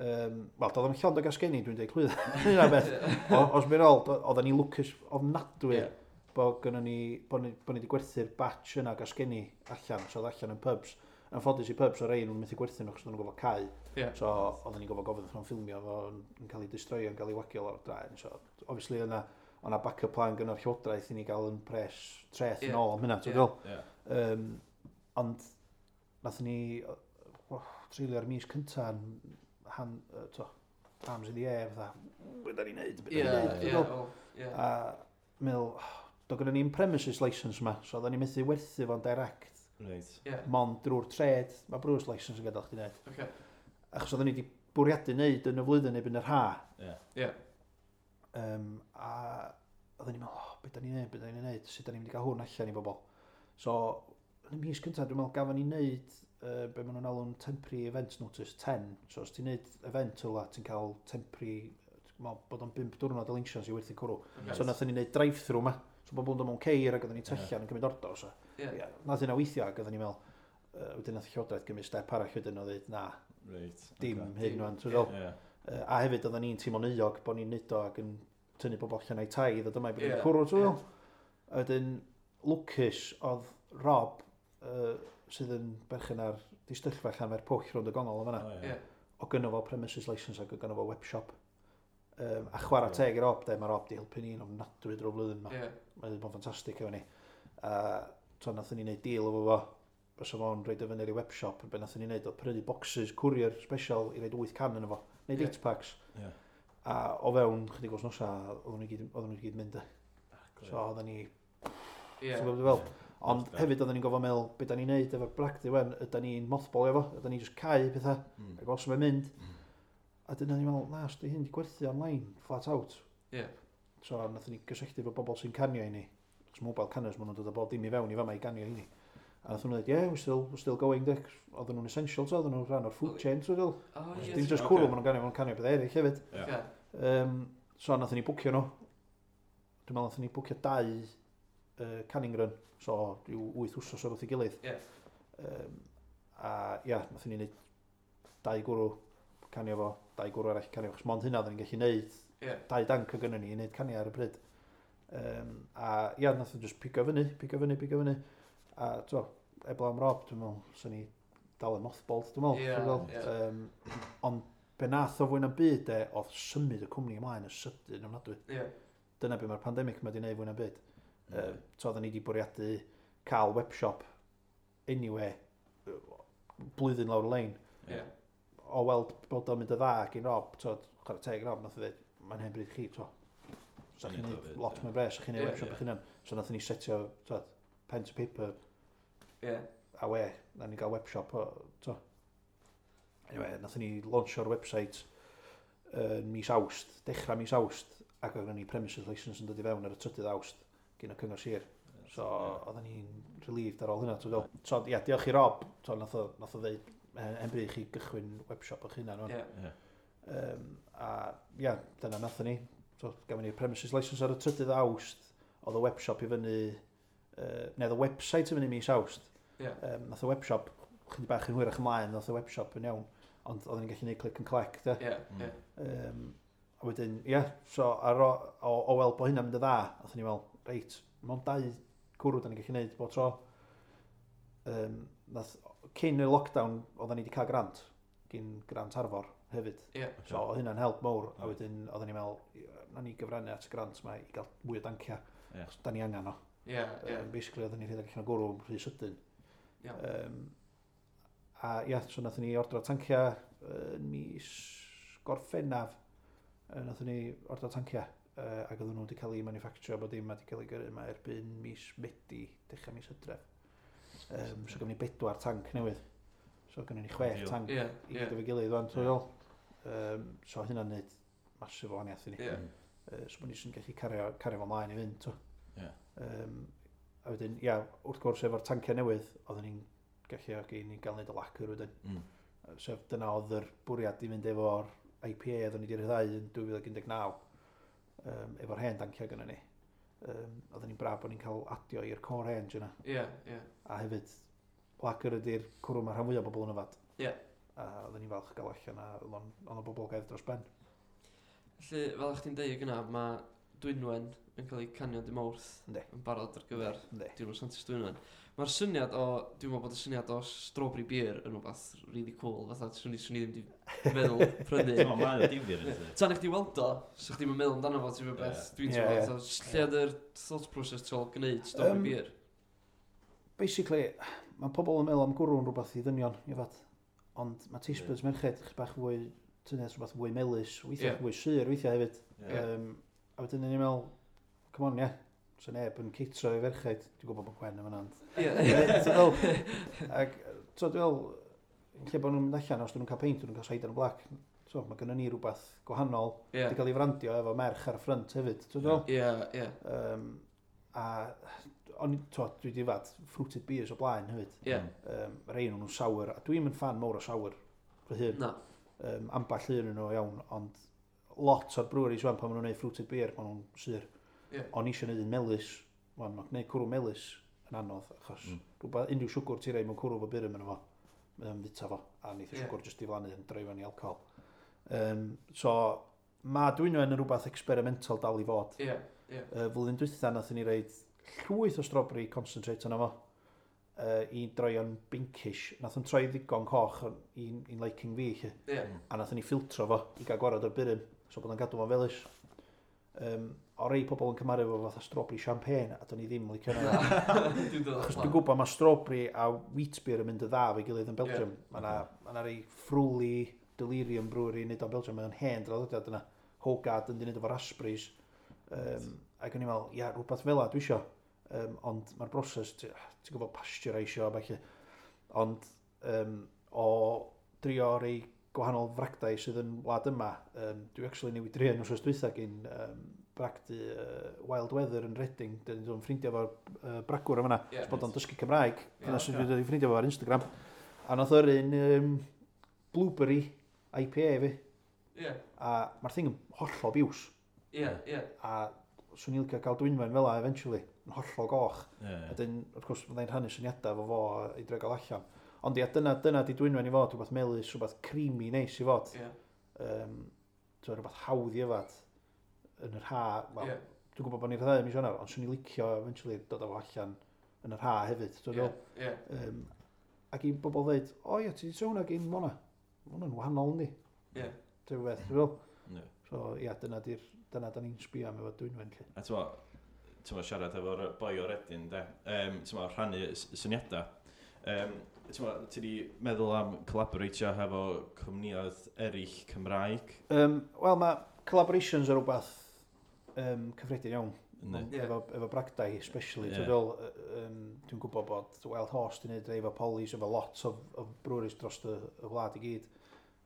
S3: Um, Wel, doedd o'm llond o gasgenni, dwi'n dweud clwydd. Hynna beth. O, os mi'n ôl, do- oedden ni lwcus ofnadwy
S1: Ie.
S3: bod gynnon ni, bod ni, bod ni wedi gwerthu'r batch yna o gasgenni allan, so oedd allan yn pubs. Yn ffodus i pubs o rei nhw'n methu gwerthu nhw, achos oedden nhw'n gorfod cau.
S1: Ie.
S3: So oedden ni'n gorfod gofyn wrth nhw'n ffilmio fo yn, yn cael ei destroio, yn cael ei wagio lawr draen. So obviously yna, o'na backup plan gyda'r llywodraeth i ni gael yn pres treth
S1: Ie.
S3: yn ôl am hynna, ti'n
S1: Ie.
S3: gwybod?
S2: Ie.
S3: Um, ond nathon ni oh, treulio'r mis cynta yn han, uh, to, arms in the air, fatha, be da ni'n neud, be
S1: Ie,
S3: da ni'n neud,
S1: ie,
S3: ti'n gwbod?
S1: o, ie.
S3: A meddwl, oh, do gynnon ni'n premises license yma, so oedden ni'n methu werthu fo'n direct,
S2: Reit.
S1: Ie,
S3: mond drwy'r trade, mae brewers license yn gadael chdi wneud.
S1: oce.
S3: Achos oedden ni wedi bwriadu wneud yn y flwyddyn erbyn yr ha.
S2: Ie.
S1: Ie.
S3: Um, a oedden ni'n meddwl, oh, be da ni'n neud, be da ni'n neud, sut da ni'n mynd i gael hwn allan i bobl. So, yn y mis cyntaf, dwi'n meddwl, gafon ni wneud uh, be maen nhw'n alw'n temporary event notice ten. So, os ti'n neud event o la, ti'n cael temporary, dwi'n meddwl bod o'n bump diwrnod o license i werthu cwrw.
S1: Oce.
S3: So, nathon ni wneud drive-through ma. So, bobl yn dod mewn ceir ac oedden ni tyllian yn cymryd order. So,
S1: Ie.
S3: yeah, nath hynna weithio ac oedden ni'n meddwl, uh, wedyn nath y llywodraeth gymryd step arall wedyn o dweud, na,
S2: Reit.
S3: dim
S2: ocê.
S3: hyn
S1: Dim,
S3: rwan. Ti'n
S1: ie.
S3: feddwl?
S2: Ie.
S3: Uh, a hefyd oedden ni'n teimlo'n euog bod ni'n neud o ac yn tynnu bobl allan o'i tai i ddod yma i bod
S1: Ie,
S3: yn cwrw, ti'n
S1: ie.
S3: feddwl? A wedyn, lwcus oedd Rob, uh, sydd yn berchen ar distyllfa Llanfairpwll rownd y gongol o fanna,
S2: O, ie.
S1: Ie.
S3: o gynno fo premises license ac o gynno fo webshop. Um, a chwarae
S2: Ie.
S3: teg i Rob, de, mae Rob di helpu ni'n ofnadwy drwy'r flwyddyn yma.
S1: Ie.
S3: Mae wedi bod yn ffantastig efo ni. A to nathon ni wneud deal efo fo, fysa fo'n rhoid o fyny ar ei webshop, be nathon ni wneud oedd prynu boxes courier special i roid wyth can yn efo, wneud
S1: Ie.
S3: eight packs.
S2: Ie.
S3: A o fewn chydig wythnosau, oedden nhw i gyd, oedden nhw i gyd mynd. de. So oedden ni,
S1: Ie.
S3: ti'n gwybod be fel? Ond
S2: Ie.
S3: hefyd oedden ni'n gofio meddwl, be da ni'n neud efo'r bragdy wen, yda ni'n mothballio fo, yda ni just cau pethau,
S2: Mm.
S3: ac os mae'n mynd. A dyna ni'n meddwl, na, os di hyn di gwerthu online, flat out.
S1: Ie.
S3: So nathon ni gysylltu efo bobl sy'n canio i ni. Chos mobile canners, maen nhw'n dod â bob dim i fewn i fama i ganio i ni. A nathon nhw dweud, "Yeah, we're still, we're still going, Dick." Oedden nhw'n essential, so oedden nhw'n rhan o'r food chain, so
S1: O, ie.
S3: dim just
S2: Ocê.
S3: cwrw, maen nhw'n ganio, maen nhw'n canio beth eraill hefyd.
S2: Ie.
S1: Oce.
S3: Um, so nathon ni bwcio nhw. Dwi'n meddwl nathon ni bwcio dau uh, canning run, so rhyw wyth wsos o'r wrth ei gilydd.
S1: Ie.
S3: Um, a ia, nathon ni wneud Dau gwrw, canio fo, dau gwrw arall canio fo, achos mond hynna oedden ni'n gallu neud,
S1: Ie.
S3: dau danc o gynnon ni i neud canio ar y pryd. Um, a ia, nath o just pigo fyny, pigo fyny, pigo fyny. A to, eblaw am Rob, dwi'n meddwl, swn i dal yn mothballed, dwi'n meddwl.
S1: Ie,
S3: ti'n gweld?
S1: ie.
S3: Um, ond be nath o fwy na'n byd de, oedd symud y cwmni ymlaen y sydyn ofnadwy.
S1: Ie.
S3: Dyna be mae'r pandemig yma wedi gwneud fwy na'n byd. Uh, so oedden ni wedi bwriadu cael webshop anyway, yy, blwyddyn lawr y lein.
S1: Ie.
S3: O weld bod o'n mynd y dda gyn Rob, to, chwarae teg Rob, nath o ddweud, mae'n hen bryd chi, to. Sa chi'n
S2: Neud o
S3: neud
S2: fyd,
S3: lot
S2: ie.
S3: mwy bres, sa chi'n neud
S1: Ie,
S3: webshop
S2: ie.
S3: eich hunan. So nath ni setio, to, pen to paper,
S1: Ie.
S3: a we, na ni gael webshop, o, to. Anyway, nath ni launcho'r website yn mis Awst, dechrau mis Awst, ac oedd ni premises license yn dod i fewn ar y trydydd Awst gyn y Cyngor Sir. So, oedden ni'n relieved ar ôl hynna. ti'n gweld. So, ia, diolch i Rob, so, nath o, nath o ddeud, hen hen bryd chi gychwyn webshop o'ch hunan. wan.
S1: Ie.
S2: Ie.
S3: Um, a ia, dyna nathon ni. So, gafon ni'r premises license ar y trydydd Awst, oedd y webshop i fyny, uh, neu oedd y website i fyny mis Awst.
S1: Ie.
S3: Um, nath y webshop, chydig bach yn hwyrach ymlaen, nath y webshop yn iawn, ond oedden ni'n gallu gwneud click and collect, de.
S1: Ie.
S2: Mm.
S1: Ie.
S3: Um, a wedyn, ie, yeah, so ar o, o, o weld bod hynna'n mynd yn dda, nathon ni fel, reit, mewn dau cwrw da ni'n gallu gwneud bob tro. Um, nath, cyn y lockdown, oedden ni wedi cael grant, gyn grant Arfor hefyd.
S1: Ie.
S3: So oedd hynna'n help mawr, a
S2: Ie.
S3: wedyn oedden ni'n meddwl, na ni gyfrannu at y grant yma i gael mwy o dancia,
S2: Ie.
S3: achos da ni angen o.
S1: Ie. Ie.
S3: Um, basically, oedden ni'n rhedeg allan o gwrw rhy sydyn.
S1: Iawn.
S3: Um, a ia, so nathon ni ordro tancia yn mis Gorffennaf. Uh, nathon ni ordro tancia uh, ac oedden nhw wedi cael eu manufacture bod dim wedi cael eu gyrru yma erbyn mis Medi, dechrau mis Hydref. Um, so gafon ni bedwar tanc newydd. So gynnon ni chwech
S2: Ideal.
S3: tanc
S1: Ie.
S3: i
S1: Ie.
S3: gyd efo'i gilydd wan, ti'n meddwl? Um, so hynna'n neud massive o wahaniaeth i ni.
S1: Ie.
S2: Mm.
S3: Uh, so bod ni jyst yn gallu cario, cario fo mlaen i fynd, to.
S2: Ie.
S3: Um, a wedyn, ia, wrth gwrs efo'r tanciau newydd, oedden ni'n gallu i ni gael neud y lacr wedyn.
S2: Mm.
S3: Sef dyna oedd yr bwriad i fynd efo'r I P A oedden ni wedi rhyddhau yn dwy fil un deg naw, um, efo'r hen danciau gynnon ni. Um, oedden ni'n braf bod ni'n cael adio i'r core range yna.
S1: Ie. Ie.
S3: A hefyd, lacr ydy'r cwrw mae rhan fwyaf o bobl yn yfad.
S1: Ie.
S3: A oedden ni'n falch gael allan a oedd o'n oedd o'n boblogaidd dros ben.
S1: Felly, fel ych chi'n deud gyna, mae Dwynwen yn cael ei canio dy Mawrth
S3: Yndi.
S1: yn barod ar gyfer
S3: Yndi.
S1: Diwrnod Santes Dwynwen. Mae'r syniad o, dwi'n meddwl bod y syniad o strawberry beer yn rhywbeth really cool, fatha swn i, swn i ddim di meddwl prynu.
S2: Ti'n meddwl, mae o difyr, yndi?
S1: Tan i chdi weld o, so chdi'n meddwl amdano fo, ti'n meddwl beth,
S2: Ie.
S1: dwi'n
S3: Ie,
S1: teimlo,
S3: ie.
S1: fatha, lle oedd yr thought process tu ôl gwneud strawberry
S3: Yym,
S1: beer?
S3: Basically, mae pobl yn meddwl am gwrw yn rhywbeth i ddynion, i fod. Ond mae taste buds merched chydig bach fwy, tynnu at rhywbeth fwy melys, weithiau
S1: Ie.
S3: fwy sur, weithiau hefyd.
S2: Ie.
S3: Um, a wedyn ni'n meddwl, come on, ie, yeah. So neb yn ceitro i ferched. Dwi'n gwybod bod Gwen yn fan'na, ond
S1: Ie.
S3: Ie, ti'n meddwl? Ac, so dwi'n meddwl, lle bod nhw'n mynd allan, os dyn nhw'n cael peint, dyn nhw'n cael cider and black. So, mae gynnon ni rhywbeth gwahanol.
S1: Ie.
S3: Wedi cael ei frandio efo merch ar y ffrynt hefyd. Ti'n meddwl?
S1: Ie, ie,
S3: Um, a o'n i- t'wo, dwi wedi yfad fruited beers o blaen hefyd.
S1: ie.
S3: Um, rei nhw'n sour, a dwi'n yn fan mawr o sour fy hun.
S1: Na.
S3: Um, amball un yn nhw iawn, ond lot o'r breweries wan pan maen nhw'n gwneud fruited beer, maen nhw'n sur.
S1: Ie.
S3: O'n i eisiau gwneud un melys, wan, mae gwneud cwrw melys yn anodd, achos
S2: Mm.
S3: mm. rhywbeth, unrhyw siwgr ti'n rhoi mewn cwrw fo burum yn fo, mae o'n fita fo, a neith y
S1: Ie.
S3: siwgr jyst diflannu yn droi fewn i alcohol. Um, so, mae Dwynwen yn rhywbeth experimental dal i fod.
S1: Ie, ie.
S3: Uh, flwyddyn dwytha nathon ni roid llwyth o strawberry concentrate yna fo uh, i droi o'n pinkish. Nath o'n troi ddigon coch yn- i'n i'n liking fi, lle.
S1: Ie.
S3: A nathon ni ffiltro fo i gael gwared o'r burum, so bod o'n gadw fo'n felys. Um, o rei pobl yn cymharu fo fatha strawberry champagne, a do'n i ddim licio hynna.
S1: Na. Dwi'n dod
S3: Achos dwi'n gwybod mae strawberry a wheat beer yn mynd y dda fo'i gilydd yn Belgium.
S1: Ie.
S3: Mae yna ma 'na rei Frulli Delirium Brewery yn neud o'n Belgium, mae'n hen draddodiad yna. Hoegaarden di neud efo raspberries. Um, ac o'n i'n meddwl, ia, rhywbeth fel 'a dwi isio. Um, ond mae'r broses, ti- ti'n gwybod pasteurisio a ballu. Ond um, o drio rei gwahanol fragdau sydd yn wlad yma, um, dwi actually newid drio yn wsos dwytha gyn um, bragdy uh, Wild Weather yn Reading, dyn ni'n dod yn ffrindiau efo'r uh, bragwr yma,
S1: Ie.
S3: yeah. bod o'n dysgu Cymraeg,
S1: Ie,
S3: dyna sydd
S2: ocê.
S3: wedi dod i ffrindiau fo ar Instagram. A nath o'r un um, blueberry I P A fi,
S1: Ie,
S3: a mae'r thing yn hollol biws,
S1: ie, ie.
S3: a swn i'n licio cael Dwynwen fel 'a eventually, yn hollol goch.
S2: Ie,
S3: A dyn, wrth gwrs, fyddai'n rhannu syniadau efo fo i drio gael allan. Ond ia, dyna, dyna di Dwynwen i fod, rhywbeth melys, rhywbeth creamy neis i fod.
S1: Ie.
S3: Um, so, rhywbeth hawdd i yfad yn yr ha. Wel,
S1: Ie.
S3: dwi'n gwybod bod ni'n rhyddhau mis Ionawr, ond swn i licio eventually dod â fo allan yn yr ha hefyd. Dwi'n
S1: Ie.
S3: meddwl.
S1: Ie.
S3: Um, ac i bobl dweud, o ie, ti wedi trio hwnna gyn Mona. Ma' hwnna'n wahanol, yndi?
S1: Ie.
S3: Ti'n beth, dwi'n meddwl.
S2: Ie.
S3: So, ia, dyna di'r, dyna da ni'n sbio am efo Dwynwen, lle.
S2: A ti'n mo, ti'n mo, siarad efo'r boi o'r Redin, de, um, ti'n mo, rhannu s- syniadau. Um, ti'n mo, ti di meddwl am collaboratio hefo cwmnïoedd eraill Cymraeg?
S3: Um, Wel, mae collaborations yn rhywbeth um, cyffredin iawn.
S2: Yndi.
S1: Ie.
S3: Efo, efo bragdai, especially.
S2: Ie.
S3: Dwi'n meddwl, yy, um, dwi'n gwybod bod Wild Horse di wneud rei efo Polly's, efo lot of, of breweries dros y, y wlad i gyd.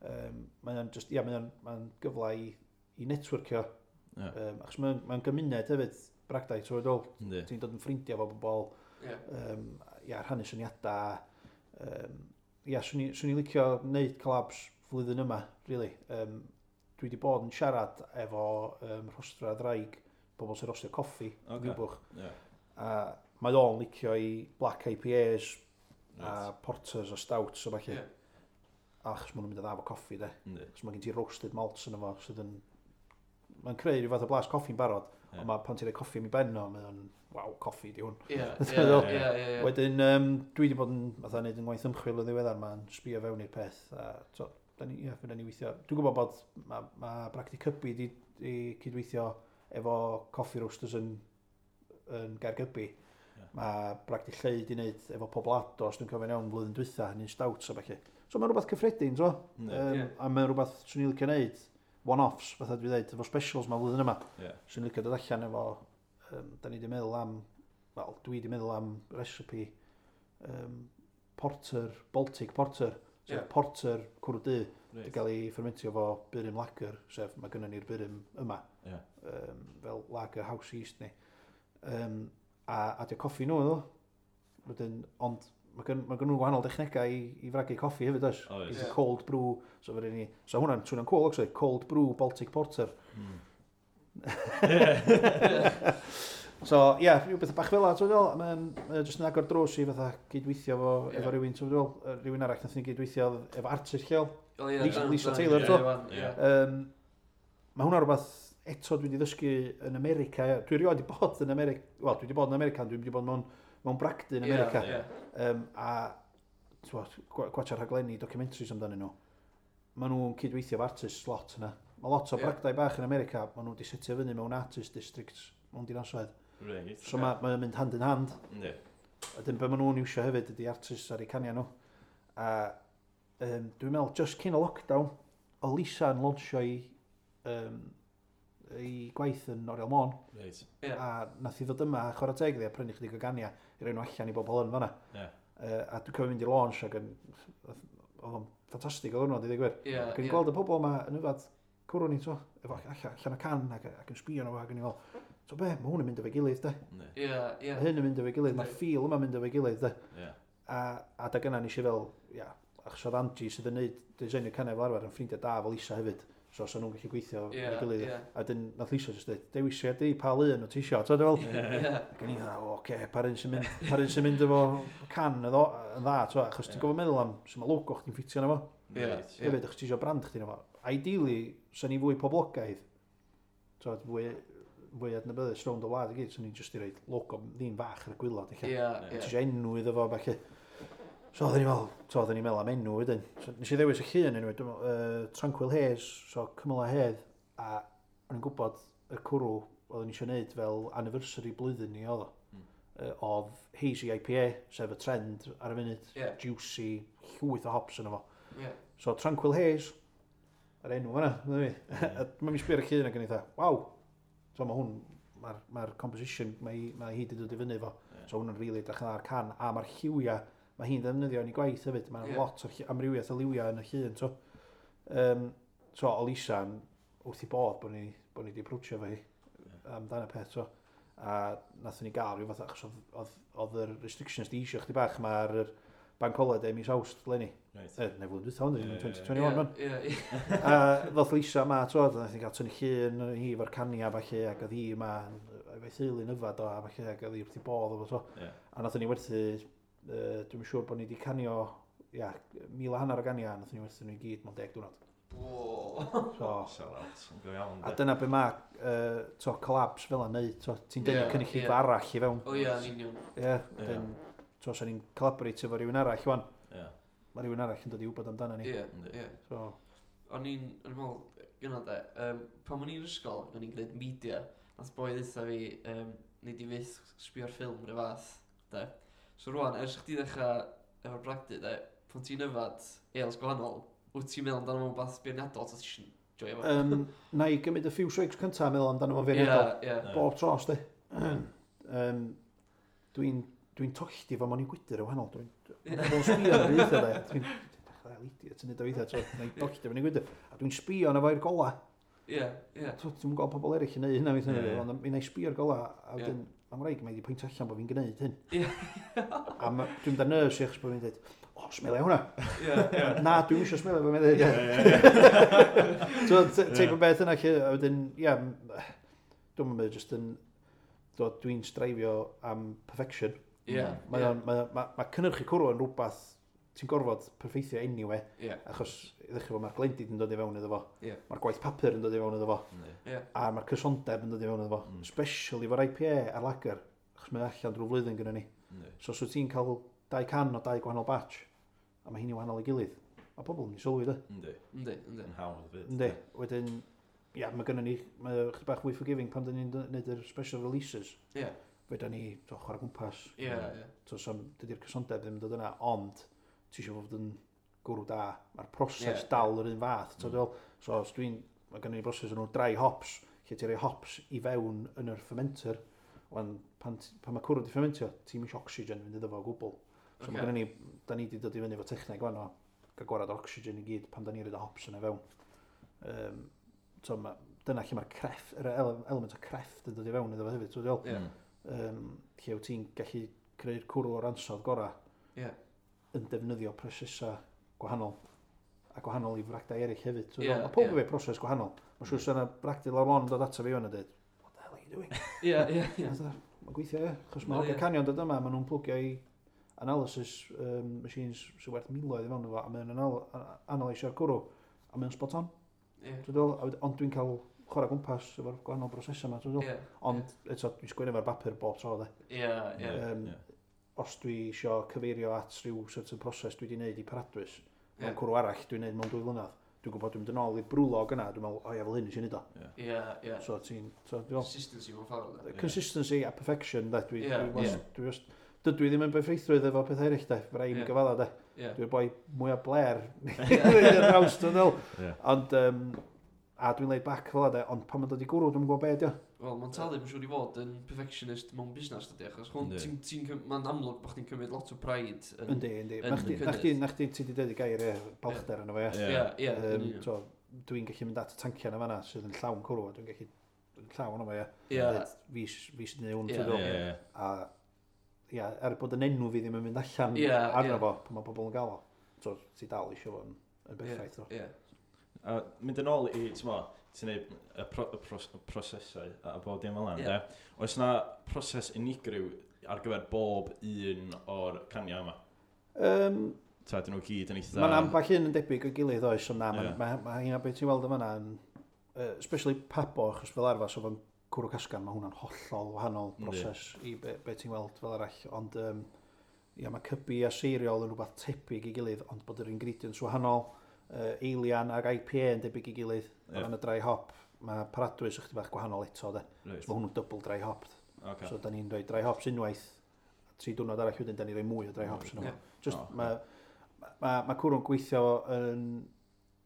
S3: Um, mae o'n just, ia, mae o'n mae gyfle i, i networkio.
S2: Ie.
S3: Um, achos mae'n mae gymuned hefyd, bragdai, ti'n meddwl,
S2: Yndi.
S3: ti'n dod yn ffrindiau efo bobl,
S1: Ie.
S3: um, ia, rhannu syniadau. Um, ia, swn i, swn i licio wneud collabs flwyddyn yma, really. Um, dwi wedi bod yn siarad efo um, Rhostra Ddraig, bobl sy'n rostio coffi,
S2: Ocê.
S3: okay. Niwbwch.
S2: Ie.
S3: A mae o'n licio i black I P As a
S2: Reit.
S3: porters a stouts a falle.
S1: Ie.
S3: Achos maen nhw'n mynd yn dda efo coffi, de.
S2: Yndi.
S3: Achos mae gen ti roasted malts yn efo sydd yn... Mae'n creu rhyw fath o blas coffi'n barod,
S2: Ie.
S3: ond mae pan ti'n rhoi coffi am i ben o, mae o'n, waw, coffi di hwn.
S1: Ie.
S3: Dwi'n meddwl.
S1: Ie. Ie. Ie.
S3: Wedyn, um, dwi wedi bod yn fatha neud yn ngwaith ymchwil yn ddiweddar, mae'n sbio fewn i'r peth. A, so, da ni, ie, fydda ni weithio. Dwi'n gwybod bod mae ma Bragdy Cybi di, di cydweithio efo coffee roasters yn, yn Gaergybi.
S2: Ie.
S3: Mae Bragdy Lleu di wneud efo Poblado, os dwi'n cofio'n iawn, blwyddyn dwytha, yn un stout a falle. So mae'n rhywbeth cyffredin, so.
S2: Yndi.
S3: Um,
S1: Ie.
S3: A mae'n rhywbeth swn i'n licio wneud, one-offs, fatha dwi dweud, efo specials ma flwyddyn yma.
S2: Ie.
S3: Swn i'n licio dod allan efo, um, da ni wedi meddwl am, wel, dwi wedi meddwl am recipe um, porter, Baltic porter, sef
S1: Ie.
S3: porter cwrw du,
S2: Reit.
S3: wedi cael ei fermentio efo burum lager, sef mae gynnon ni'r burum yma,
S2: Ie.
S3: um, fel lager house yeast ni. Um, a adio coffi nhw iddo. Wedyn, ond mae gen, ma gen nhw gwahanol dechnegau i, i fragu coffi hefyd, oes?
S2: Oes.
S3: Gen ti
S1: Ie.
S3: cold brew, so fydden ni, so hwnna'n swnio'n cool, actually, cold brew Baltic Porter.
S2: Mm.
S3: So, ie, yeah, rhywbeth bach fel 'na, ti'n meddwl, mae'n mae o jyst yn agor drws i fatha gydweithio efo,
S1: Ie.
S3: efo rhywun, ti'n meddwl, yy, rhywun arall nath ni gydweithio efo artist lleol.
S1: Wel, ie,
S3: Lisa-
S1: dyna-
S3: Lisa
S1: dyna-
S3: Taylor,
S1: ie,
S3: to?
S1: wan,
S2: Ie.
S1: Ie.
S3: Um, mae hwnna rhywbeth eto dwi wedi ddysgu yn America. Ie. Dwi erioed wedi bod yn America, wel, dwi wedi bod yn America, ond dwi wedi bod mewn, mewn bragdy yn
S1: Ie,
S3: America.
S1: Ie.
S3: Um, a t'wod, gwa- gwatcha rhaglenni, documentaries amdanyn nhw. Maen nhw'n cydweithio efo artists lot yna. Mae lot o
S1: Ie.
S3: bragdai bach yn America, maen nhw wedi setio fyny mewn artist districts mewn dinasoedd.
S2: Reit.
S3: So mae mae o'n mynd hand in hand.
S2: Yndi.
S3: A dyn be maen nhw'n iwsio hefyd ydy artists ar eu caniau nhw. A um, dwi'n meddwl, just cyn y lockdown, o Lisa yn launchio i, um, i gwaith yn Oriel Môn.
S2: Reit.
S1: Ie.
S3: A nath i ddod yma a chwarae teg iddi a prynu chydig o ganiau i roi nhw allan i bobl yn fanna.
S2: Ie.
S3: Uh, a dwi'n cofio mynd i'r launch ac yn, oedd o'n ffantastig o ddwrnod i ddweud gwir.
S1: Ie.
S3: Ac yn
S1: ie.
S3: gweld y bobl yma yn yfad cwrw ni, to, efo allan, allan o can ac, ac yn sbio nhw ac yn i fel, so be, mae hwn yn mynd efo'i gilydd, de.
S2: Yndi.
S1: Ie. Ie.
S3: Mae hyn yn mynd efo'i gilydd, mae'r feel yma'n mynd efo'i gilydd, de.
S2: Ie.
S3: A, a da gynna nes i fel, ia, achos oedd Angie sydd yn neud designio caniau fel arfer yn ffrindiau da fel Lisa hefyd. So, so nhw'n gallu gweithio
S1: Ie.
S3: efo'i gilydd.
S1: Ie.
S3: A dyn, nath Lisa jyst dweud, dewisia di pa lun o ti isio. So, dwi'n fel,
S1: Ie.
S3: ac o'n i'n dda, o, oce, pa un sy'n mynd, pa un sy'n mynd efo can yn ddo- yn dda, t'wo, achos ti'n
S2: Ie.
S3: gofod meddwl am sut mae logo chdi'n ffitio yna fo.
S1: Ie.
S2: Reit.
S1: Ie.
S3: Hefyd, achos ti isio brand chdi yna fo. Ideally, sy'n ni fwy poblogaidd, t'wo, fwy, fwy adnabyddus rownd y wlad i gyd, sy'n ni jyst i roid logo ddim fach ar y gwaelod, ella.
S1: Ie.
S3: Ti
S1: Ie.
S3: isio enw iddo fo, falle. So oedden ni fel, so oedden ni'n meddwl am enw wedyn. So, nes i ddewis y llun enw, dwi'n meddwl, uh, Tranquil Haze, so Cymylau Hedd, a o'n i'n gwybod y cwrw oedden ni eisiau gwneud fel anniversary blwyddyn ni oedd o.
S2: Mm.
S3: Uh, oedd Hazy I P A, sef y trend ar y funud,
S1: Ie.
S3: juicy, llwyth o hops yno fo.
S1: Ie.
S3: So Tranquil Haze, yr enw fan'na, medda fi. A mae'n sbio ar y llun ac yn eitha, waw! So mae hwn, mae'r ma composition, mae, mae hi wedi dod i fyny fo.
S2: Ie.
S3: So hwn yn rili edrych yn dda ar can, a mae'r lliwiau, mae hi'n ddefnyddio yn ei gwaith hefyd, mae'n
S1: Ie.
S3: yeah. lot o lli- amrywiaeth o liwiau yn y llun, so. Um, so, o Lisa, yn wrth i bodd bod ni, bod ni wedi approachio fo hi amdan y peth, so. A nathon ni gael rhyw fath, achos oedd, oedd, oedd yr restrictions di isio chdi bach, mae'r bank holiday mis Awst, leni.
S2: Reit.
S3: E, neu flwyddyn dwytha, ond
S2: Ie, ie, ie.
S3: twenty twenty-one, man.
S1: Ie. Ie.
S3: A ddoth Lisa yma, twod, nath ni gael tynnu llun hi efo'r cania falle, ac oedd hi yma, efo'i theulu'n yfad o, a falle, ac oedd hi wrth i bodd efo, so.
S2: Ie.
S3: A nathon ni werthu, uh, dwi'n siŵr bod ni wedi canio ia, mil a hanner o gania, nath ni werthu nhw i gyd mewn deg diwrnod.
S1: Wow.
S3: So,
S2: Sell out, yn go iawn.
S3: a
S2: de.
S3: dyna be mae uh, to, collabs fel yna neud, to, ti'n denu
S1: Ie,
S3: cynulleidfa
S1: ie.
S3: arall i fewn.
S1: O ie, yn union.
S3: Ie,
S2: Ie.
S3: wedyn, to, sa ni'n collaborate efo rhywun arall, wan,
S2: Ie.
S3: mae rhywun arall yn dod i wybod amdano ni.
S1: Ie,
S2: Yndi.
S1: ie.
S3: So,
S1: O'n i'n, o'n i'n meddwl, gyna de, um, pan o'n i'n ysgol, o'n i'n gwneud media, nath boi ddeutha fi, um, nei di fyth sbio ar ffilm rhyw fath, de. So rwan, ers chdi ddechrau efo'r bragdy, de, pan ti'n yfad ales gwahanol, wyt ti'n meddwl amdano fo'n beth beirniadol, ta ti isio joio fo?
S3: um, na i gymryd y few swigs cyntaf a meddwl amdano fo'n feirniadol.
S1: Ie, ie.
S2: Ie.
S3: Bob tro, sti. um, dwi'n dwi'n tollti fo mewn i gwydr yn wahanol. Dwi'n dwi'n sbio ar y weithiau, de. Dwi'n dechrau idiot yn neud o weithiau, so na i tollti fo mewn i gwydr. A dwi'n sbio arno fo i'r gola.
S1: Ie, ie.
S3: T'wo, Dwi'm yn gweld pobl eraill yn neud hynna weithiau,
S2: Ie, ie.
S3: ond mi na i sbio ar gola, a
S1: Ie.
S3: wedyn, mae'n wraig mae wedi pwyntio allan bod fi'n gwneud hyn.
S1: Ie.
S3: A ma- dwi'n mynd ar nerves i achos bod fi'n dweud, o, smelio hwnna.
S1: Ie, ie.
S3: Na, dwi'n eisiau smelio fo, mae'n dweud. So, t- teip o beth yna, lle, a wedyn, ia, m- dwi'n mynd just yn, dwi- dwi'n streifio am perfection.
S1: Ie,
S3: Mae
S1: ie.
S3: o'n- mae ma, ma cynnyrchu cwrw yn rhywbeth ti'n gorfod perffeithio anyway,
S1: Ie,
S3: achos i ddechrau fo mae'r glendid yn dod i fewn iddo fo,
S1: Ie.
S3: mae'r gwaith papur yn dod i fewn iddo fo,
S2: Yndi.
S1: ie.
S3: a mae'r cysondeb yn dod i fewn iddo fo,
S2: Mm.
S3: especially efo'r I P A a'r lager, achos mae allan drwy flwyddyn gyda ni.
S2: Yndi.
S3: So os wyt ti'n cael dau can o dau gwahanol batch, a mae hynny wahanol i gilydd, mae pobl yn mynd i sylwi, de.
S2: Yndi.
S1: Yndi, yndi.
S2: Yn hawdd fyd.
S3: Yndi, wedyn, ia, mae gynnon ni, mae o chydig bach fwy forgiving pan dyn ni'n gwneud yr special releases.
S1: Ie,
S3: Fedra ni, to, chwarae gwmpas,
S1: ie, ie.
S3: to, so, dydy'r cysondeb ddim yn dod yna, ond ti eisiau fod yn gwrw da. Mae'r proses
S1: Ie.
S3: dal yr un fath. Mm.
S2: Mm.
S3: So, os dwi'n, mae gynnon ni broses nhw dry hops, lle ti'n rhoi hops i fewn yn yr fermenter. Wan, pan, ti- pan mae cwrw di fermentio, ti'n eisiau oxygen fynd iddo fo o gwbl. So
S1: Ocê.
S3: mae gynnon ni, da ni wedi dod i fyny efo techneg wan o gael gwarad o'r oxygen i gyd pan da ni'n rhoi hops yna fewn. Um, so ma, dyna lle mae'r crefft, yr ele- element o crefft yn dod i fewn iddo fo hefyd. So, dwi'n
S1: Ie,
S2: Mm.
S3: um, lle wyt ti'n gallu creu'r cwrw o'r ansawdd gorau
S1: ie.
S3: yn defnyddio prosesau gwahanol a gwahanol i fragdau eraill hefyd. So,
S1: Ie,
S3: yeah, mae pob
S1: ie.
S3: efo proses gwahanol. Mae'n siŵr sy'n bragdy lawr lôn yn dod ato fi wan a dweud, "What the hell are you doing?"
S1: Ie, ie, ie.
S3: Mae'n gweithio, ie. Achos mae
S1: Wel,
S3: hogia
S1: ie.
S3: canio'n dod yma, maen nhw'n plwgio i analysis um, machines sy'n werth miloedd i fewn efo, a mae'n anal analysio'r cwrw, a mae'n spot on.
S1: Ie,
S3: Dwi'n meddwl, a wed- ond dwi'n cael chwarae gwmpas efo'r gwahanol brosesau yma, dwi'n meddwl.
S1: ie.
S3: Ond eto, dwi'n sgwennu efo'r bapur bob tro, de.
S1: Ie, ie.
S3: Yym,
S2: Ie.
S3: Os dwi isio cyfeirio at rhyw certain proses dwi wedi wneud i Paradwys, mewn
S1: Ie.
S3: cwrw arall dwi'n wneud mewn dwy flynedd, dwi'n gwybod dwi'n mynd yn ôl i'r brew log yna, dwi'n meddwl, o ia, fel hyn nes i wneud o.
S1: Ie, ie.
S3: So ti'n, so dwi'n meddwl,
S1: Consistency mewn ffordd, de.
S2: Ie.
S3: consistency a perfection, de, dwi,
S1: Ie,
S3: dwi,
S1: ie.
S3: was, dwi, was, dydw i ddim yn berffeithrwydd efo pethau eraill, de, fe rai i mi
S1: Ie.
S3: gyfadda, de.
S1: Ie.
S3: Dwi'n boi mwyaf bler,
S1: Ie.
S3: draws, dwi'n meddwl.
S2: Ie.
S3: Ond, um, a dwi'n laid back fel de, ond pan mae'n dod i gwrw, dwi'n gwybod be ydi o.
S1: Wel, mae'n talu, mae'n siŵr i fod yn perfectionist mewn busnes, dydy, achos hwn,
S2: Yndi.
S1: ti'n, ti'n, cym- mae'n amlwg bod chdi'n cymryd lot o pride yn...
S3: Yndi, yndi.
S1: yn
S3: Na chdi,
S1: y
S3: na chdi,
S1: cynnydd.
S3: na chdi, ti di dweud y gair, ie, balchder yna fo, ie.
S1: Ie, ie, yn
S3: Um,
S1: union.
S3: so, dwi'n gallu mynd at y tanciau na fanna sydd yn llawn cwrw, a dwi'n gallu yn llawn yma, ie.
S1: Ie,
S3: Deud, Fi, s- fi sydd yn neud hwn,
S1: Ie.
S3: ti'n
S2: Ie,
S3: gwbod.
S2: ie.
S3: A, ia, er bod yn enw fi ddim yn mynd allan
S1: Ie,
S3: arno
S1: ie.
S3: fo, pan mae pobl yn gael o. So, ti dal eisiau fo yn, yn berffaith. o.
S1: ie.
S2: A mynd yn ôl i, ti'n mo, ti'n neud y, pro, y, pros, y prosesau a bob dim fel yna,
S1: Ie.
S2: de? Oes na proses unigryw ar gyfer bob un o'r caniau yma?
S3: Um,
S2: Ta, dyn nhw gyd yn eitha...
S3: Mae'n ambell un yn debyg o'i gilydd oes, ond na,
S2: Ie.
S3: mae ma, ma hynna beth ti'n weld yn fanna, yn, uh, especially Pabo, achos fel arfer, so fo'n cwrw casgan, mae hwnna'n hollol wahanol
S2: Yndi.
S3: broses i be, be ti'n weld fel arall, ond um, ia, mae cybi a seiriol yn rhywbeth tebyg i gilydd, ond bod yr ingredients wahanol, uh, Eilian ag I P A yn debyg i gilydd,
S2: Ie.
S3: o ran y dry hop, mae Paradwys ychydig bach gwahanol eto, de.
S2: Reit.
S3: So mae hwnnw'n double dry hop.
S2: Ocê.
S3: So da ni'n rhoi dry hops unwaith, a tri diwrnod arall wedyn, da ni'n rhoi mwy o dry hops yno.
S1: Ie.
S3: fo. Just,
S2: O, ocê.
S3: mae ma, ma cwrw'n gweithio yn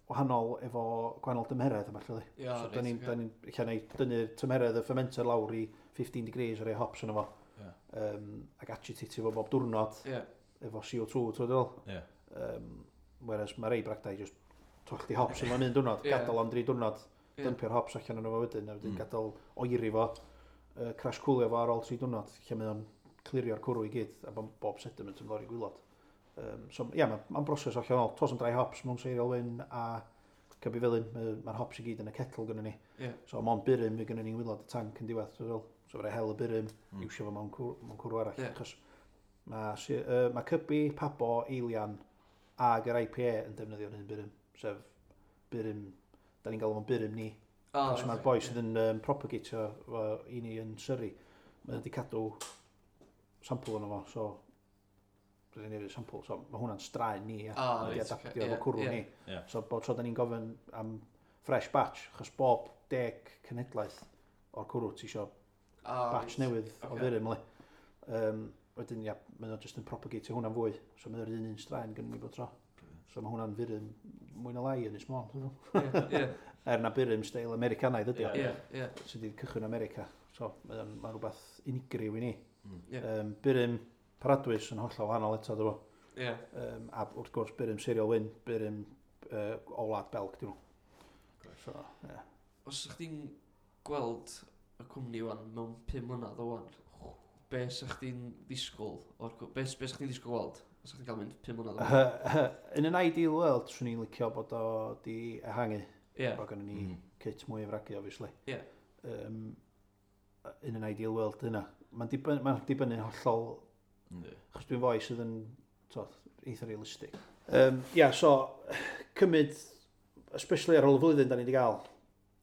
S3: wahanol efo gwahanol dymheredd yma, lle.
S1: Ie,
S3: So
S1: reit,
S3: da ni'n,
S1: ocê.
S3: da ni'n, lle neu dynnu'r tymheredd y fermenter lawr i fifteen degrees a rhoi hops yno fo.
S2: Ie.
S3: Um, ac agitatio fo bob diwrnod
S1: Ie,
S3: efo C O two, ti'n dweud?
S2: Ie.
S3: Um, whereas mae rei bragdau just tollti hops yn un diwrnod,
S1: Ie.
S3: gadael am dri diwrnod,
S1: Ie.
S3: dympio'r hops allan yno fo wedyn, a wedyn
S2: Mm.
S3: gadael oeri fo, uh, crash coolio fo ar ôl tri diwrnod, lle mae o'n clirio'r cwrw i gyd, a bod bob sediment yn lawr i gwylod. Um, so, ie, yeah, mae'n ma broses allanol. Tos yn dry hops mewn seiriol wyn a cybi felyn, mae'r ma hops i gyd yn y kettle gynnu ni.
S1: Ie.
S3: So, mond burum fydd gynnu ni'n wylod y tank yn diwedd. So, so fe hel y burum,
S2: Mm.
S3: mm. iwsio fo mewn cwrw, mewn cwrw arall.
S1: Ie.
S3: Achos mae uh, ma cybi, Pabo, Eilian ag yr I P A yn defnyddio'r un burum, sef burum, da ni'n galw fo'n burum ni.
S1: O,
S3: Achos mae'r
S1: reit,
S3: boi
S1: ie.
S3: sydd yn um, propagatio fo i ni yn Surrey, mae wedi cadw sampl ono fo, so rydyn ni'n sampl, so mae hwnna'n straen ni, ia.
S1: O,
S3: Wedi
S1: reit,
S3: adaptio
S1: ocê,
S3: efo
S1: ie,
S3: cwrw
S1: ie.
S3: ni.
S2: Ie.
S3: So bob tro da ni'n gofyn am fresh batch, achos bob deg cenhedlaeth o'r cwrw ti isio
S1: O,
S3: batch
S1: reit.
S3: newydd o
S1: Ocê.
S3: furum, le. Um, wedyn, ia, mae o just yn propagatio hwnna'n fwy. So mae o'r un un straen gynnu ni bob tro. So mae hwnna'n furum mwy na lai yn Ynys Môn. Dwi'n meddwl.
S1: Ie, ie,
S3: Er na burum steil Americanaidd ydi o,
S1: ie, ie,
S3: sydd wedi cychwyn America. So mae o'n ma rhywbeth unigryw i ni.
S2: Mm.
S1: Ie.
S3: Um, burum Paradwys yn hollol wahanol eto, dwi'n
S1: ie.
S3: Um, a wrth gwrs burum Seiriol Wyn, burum uh, o wlad Belg, dwi'n nhw. So, ie.
S1: Os ydych chdi'n gweld y cwmni wan mewn pum mlynedd o wan, be sa chdi'n ddisgwyl o'r cw- be, be sa chdi'n ddisgwyl gweld? Os chdi'n cael mynd pum mlynedd o wan?
S3: In an ideal world, swn i'n licio bod o di ehangu.
S1: Ie,
S3: Bod gynnon ni
S2: Mm.
S3: kit mwy o fragu, obviously.
S1: Ie.
S3: Um, in an ideal world yna. Mae'n dibynnu, ma dibynnu hollol,
S2: Yndi.
S3: achos dwi'n foi sydd yn t'od, eitha realistig. Um, yeah, so, cymryd, especially ar ôl y flwyddyn da ni wedi gael,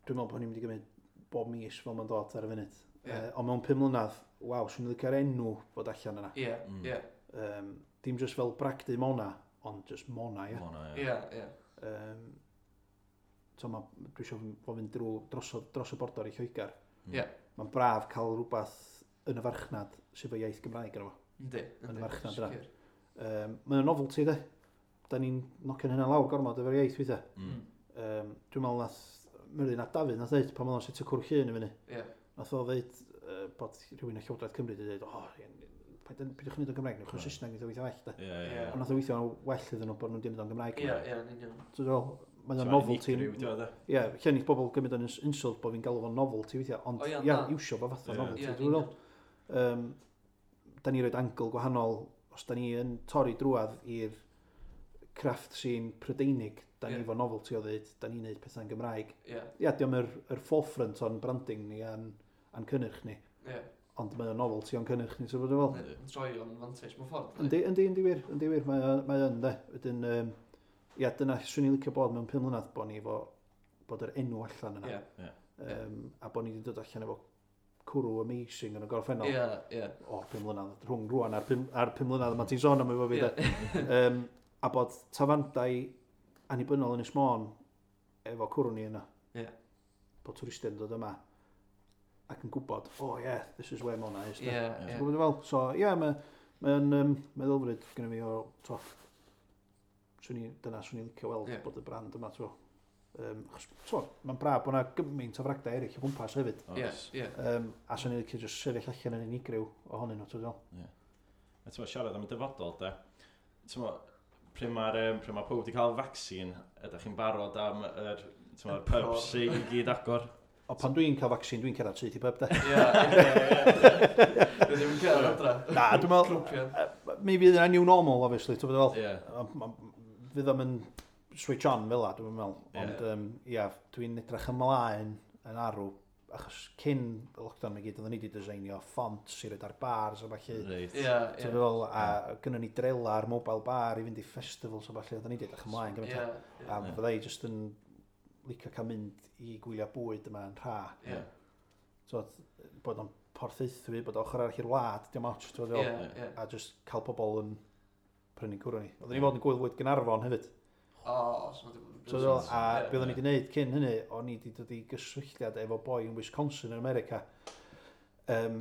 S3: dwi'n meddwl bod ni'n mynd i gymryd bob mis fel mae'n dod ar y funud.
S1: Ie.
S3: Uh, ond mewn pum mlynedd, waw, swn i'n licio'r enw fod allan yna.
S1: ie,
S2: Mm.
S1: ie,
S3: Um, dim just fel Bragdy Mona, ond just Mona, ie.
S2: Mona, ie.
S1: ie, ie.
S3: Um, so ma, dwi eisiau fo fynd drwy dros, o- dros y bordor i Lloegr.
S2: Mm.
S1: Ie.
S3: Mae'n braf cael rhywbeth yn y farchnad sydd efo iaith Gymraeg yno fo.
S1: Yndi,
S3: Yn y
S1: yndi.
S3: farchnad yna.
S1: Sicr.
S3: Um, Mae'n novelty, de. Da ni'n nocio'n hynna lawr gormod efo'r iaith weithiau.
S2: Mm.
S3: Um, dwi'n meddwl nath Myrddin ap Dafydd nath ddeud pan oedd o'n setio Cwrw Llŷn i fyny.
S1: Ie,
S3: Nath o ddeud uh, bod rhywun o Llywodraeth Cymru wedi dweud, o, oh, peidiwch wneud o'n Gymraeg, newch o'n
S2: Right.
S3: Saesneg, neith o weithio well, de.
S2: Ie, ie,
S1: Ie.
S2: ie.
S3: Ond nath o weithio'n well iddyn nhw bod nhw'n wedi wneud o'n Gymraeg.
S1: ie, ie, yn union.
S3: So, dwi'n meddwl, mae'n
S2: So,
S3: novelty.
S2: unigryw, ti'n meddwl, de?
S3: Ie, lle neith bobl gymryd o'n ins- insult bod fi'n galw fo'n novelty weithiau, ond
S1: O, ie,
S3: ie,
S1: na.
S3: iwsio fo fatha
S2: Ie.
S3: novelty,
S1: Ie, yn
S3: dwi'n meddwl.
S1: union.
S3: Um, da ni roed angle gwahanol, os da ni yn torri drwadd i'r craft scene Prydeinig, da ni
S1: Ie.
S3: efo novelty o ddeud, da ni'n neud pethau'n Gymraeg.
S1: Ie,
S3: Ie, diolch yr, yr forefront o'n branding ni a'n, a'n cynnyrch ni,
S1: ie.
S3: ond mae o'n novelty o'n cynnyrch ni, so bod yn fel.
S1: Yn troi o'n fantais mewn ffordd.
S3: Yndi, yndi, yndi wir, yndi wir, mae o- mae o'n de. Wedyn, um, ia, dyna swn i'n licio bod mewn pum mlynedd bod ni efo, bod yr enw allan yna.
S1: Ie,
S3: Um, a bod ni wedi dod allan efo cwrw amazing yn y gorffennol.
S1: ie, ie.
S3: O'r pum mlynedd, rhwng rwan a'r pum, a'r pum mlynedd yma ti'n sôn am efo fi,
S1: Ie.
S3: de. Um, a bod tafarndai annibynnol yn Ynys Môn efo cwrw ni yna.
S1: Ie.
S3: Bod twristiaid yn dod yma ac yn gwybod, oh yeah, this is where Mona is. de.
S1: Ie,
S3: Ti'n
S1: ie.
S3: gwybod fel? So, ie, yeah, mae mae'n um, meddylfryd gyda fi o, to, swn i, dyna swn i'n licio weld
S1: Ie.
S3: bod y brand yma, to. Um, achos, to, mae'n braf bod yna gymaint o fragdai eraill o gwmpas hefyd.
S1: Ie,
S2: Oes.
S1: ie.
S3: Um, a swn i'n licio just sefyll allan yn unigryw ohonyn nhw, ti'n fel.
S2: A ti'n siarad am y dyfodol, de. Ti'n pryd mae'r um, pryd mae pawb wedi cael vaccine, ydych chi'n barod am yr, ti'n
S1: Y
S2: pubs i gyd agor?
S3: O, pan dwi'n cael vaccine, dwi'n cerdded syth i pub, de.
S1: Ie, ie, ie. Dwi ddim yn cerdded adra.
S3: Na, dwi'n meddwl,
S1: Grwpiau.
S3: uh, mi fydd yna new normal, obviously, ti'n fel.
S2: Ie.
S3: Fydd o'm yn switch on fel la, dwi'n meddwl.
S2: Ie.
S3: Ond, um, ia, dwi'n edrych ymlaen yn arw, achos cyn y lockdown i gyd, oedden ni wedi designio fonts i roed ar bars a falle.
S2: Reit.
S1: Ie,
S3: Ti'n
S1: ie.
S3: fel, a gynnon ni drela ar mobile bar i fynd i festivals a falle, oedden ni wedi edrych ymlaen gymaint.
S1: Ie,
S3: A
S2: Ie.
S3: fydda i jyst yn licio cael mynd i gwylio bwyd yma yn rha.
S1: ie.
S3: So, bod o'n Porthaethwy, bod o ochr arall i'r wlad, dim ots, ti'n
S1: Ie,
S3: fel.
S1: ie.
S3: A just cael pobl yn prynu cwrw ni. Oedden ni fod yn gwyl fwyd Gaernarfon hefyd.
S1: O, so ma' 'di bod yn
S3: So,
S1: brilliant.
S3: a
S1: Ie.
S3: be oedden ni wedi gwneud cyn hynny, o'n i wedi dod i gysylltiad efo boi yn Wisconsin yn America. Um,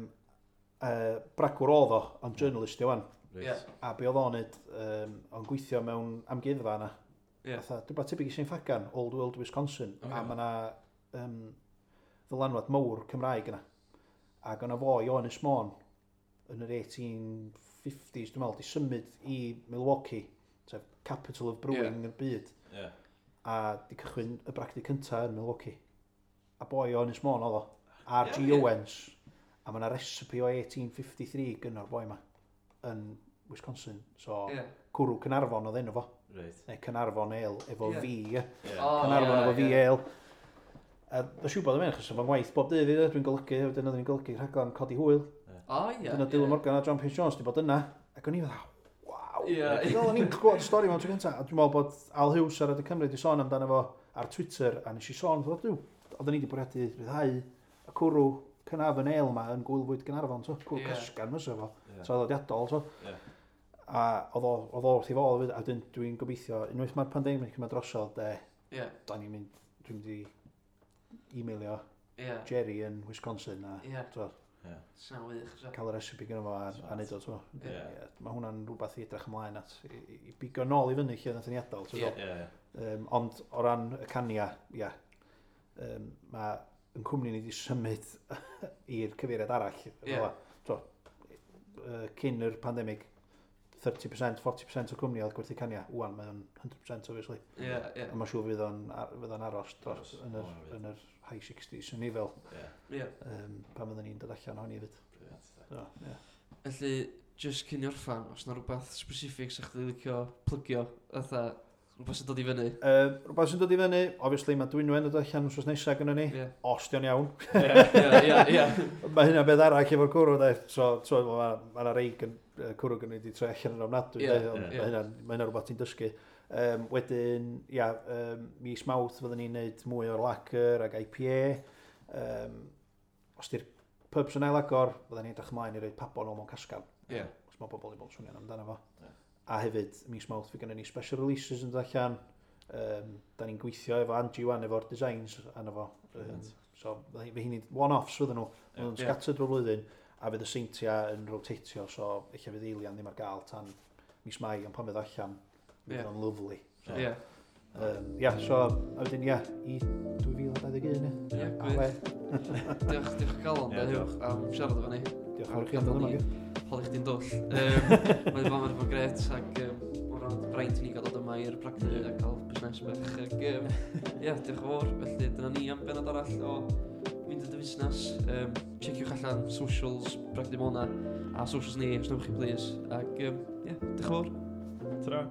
S3: uh, bragwr oedd o, ond journalist i wan.
S2: Reit.
S1: Ie.
S3: A be oedd o'n neud, um, o'n gweithio mewn amgueddfa yna.
S1: Ie.
S3: Fatha, rhywbeth tebyg i Saint Ffagan, Old World Wisconsin.
S1: Ocê.
S3: A mae yna um, ddylanwad mawr Cymraeg yna. Ac o'na foi o Ynys Môn yn yr eighteen fifties, dwi'n meddwl, di symud i Milwaukee, sef capital of brewing yeah. y byd,
S2: Ie.
S3: a di cychwyn y bragdy cyntaf yn Milwaukee. A boi o Ynys Môn oedd o, R G.
S1: Ie, ie.
S3: Owens. A mae yna recipe o eighteen fifty-three gynno'r boi yma yn Wisconsin. So,
S1: Ie.
S3: cwrw Cynarfon oedd enw fo.
S2: Reit.
S3: Neu Cynarfon Ale efo
S1: Ie.
S3: V, ie.
S2: Ie.
S1: O,
S3: Cynarfon
S1: ie,
S3: efo V
S1: ie.
S3: Ale. A dwi'n siŵr bod yn mynd, achos efo'n ngwaith bob dydd i, dwi'n golygu, wedyn oedden ni'n golygu rhaglen Codi Hwyl.
S1: O, ie.
S3: Dyna
S1: ie.
S3: Dylan Morgan a John Pierce Jones di bod yna. Ac o'n i fatha, waw, Waw.
S1: Ie.
S3: Fel o'n i'n gwybod y stori mewn tro cyntaf, a dwi'n meddwl bod Al Hughes ar Radio Cymru wedi sôn amdano fo ar Twitter, a nes i sôn, dwi, oedden ni wedi bwriadu rhyddhau y cwrw cynaf yn ale yma yn Gwyl Fwyd Gaernarfon, so, cwrw
S1: Ie.
S3: casgan fysa fo,
S2: Ie.
S3: traddodiadol, so.
S2: Ie.
S3: A oedd o, oedd o wrth ei fodd hefyd, a wedyn dwi'n gobeithio, unwaith mae'r pandemig yma drosodd, de,
S1: Ie,
S3: da ni'n mynd, dwi'n mynd i e-mailio
S1: ie,
S3: Jerry yn Wisconsin a
S1: ie.
S3: so,
S2: Ie.
S1: Sy'n wych, so.
S3: cael y recipe gyda fo a, a neud o, so.
S1: Ie.
S3: Ie, mae hwnna'n rhywbeth i edrych ymlaen at, i, i, i bigo nôl i fyny lle nath ni adael.
S1: Ie.
S3: Yeah.
S2: Ie, ie.
S3: Um, ond o ran y cania, ia, um, mae yn cwmni ni wedi symud i'r cyfeiriad arall.
S1: Ie.
S3: Fel 'a. So, uh, cyn yr pandemig, thirty percent, forty percent o cwmni oedd gwerthu cania. Wan, mae o'n one hundred percent obviously.
S1: Ie, ie,
S3: A mae'n siŵr fydd o'n, ar- fydd o'n aros dros
S2: Aros,
S3: yn yr,
S2: o, fydd.
S3: yn yr high sixties yn ni fel
S2: Ie.
S1: ie.
S3: um, pan fyddwn ni'n dod allan ohoni hefyd.
S2: Brilliant.
S3: So, ie.
S1: Felly, just cyn i orffan, os na rhywbeth specific sa'ch chdi licio plygio, fatha, rhywbeth sy'n dod i fyny.
S3: Uh, rhywbeth sy'n dod i fyny, obviously mae Dwynwen yn dod allan wrth nesaf gynnon ni.
S1: Ie,
S3: Os di o'n iawn.
S1: ie, ie, ie.
S3: Mae hynna'n beth arall efo'r cwrw, de. So, so mae ma 'na rei gyn, yy, cwrw gynnon ni wedi troi allan yn ofnadwy,
S1: Ie,
S3: de, ond
S1: ie.
S3: mae hynna'n ma hynna rhywbeth ti'n dysgu. Um, wedyn, ia, um, mis Mawrth fyddwn ni'n neud mwy o'r lager ag I P A. Um, os di'r pubs yn ailagor, fyddwn ni'n edrych ymlaen i roid Pabon nôl mewn casgan.
S1: Ie.
S3: Os mae bobl i bod yn swnio'n amdano fo.
S2: Ie.
S3: A hefyd, mis Mawrth fi gynnon ni special releases yn dod allan. Um, da ni'n gweithio efo Angie wan efo'r designs arno fo. Um,
S2: Brilliant.
S3: So, fe hynny one-offs fydden nhw.
S2: Ie.
S3: Nhw'n
S1: Ie.
S3: scattered drwy'r flwyddyn, a fydd y seintia yn rotatio, so eich fydd Eilian ddim ar gael tan mis Mai, ond pan fydd allan, fydd
S1: Ie.
S3: o'n lovely. So,
S1: Ie,
S3: um, ia, so, a wedyn, ia, i dwy fil dau ddeg un, ie.
S1: ie,
S3: A
S1: gwych.
S3: we,
S1: Diolch, diolch o galon,
S2: Ie,
S1: de, Huw,
S2: diolch.
S1: am siarad efo ni.
S3: Diolch yn fawr i chi am ddod yma.
S1: Ni. Holi chdi'n dwll. Um, Mae'n bod yn gret ac um, o ran braint i ni gael dod yma i'r bragdy a cael busnes bach. Ac, um, ie, diolch yn fawr. Felly dyna ni am benod arall o Mynd y Fusnes. Um, checiwch allan socials Bragdy Mona a socials ni, os newch chi please. Ac, um, ie, diolch yn fawr.
S2: Ta-ra.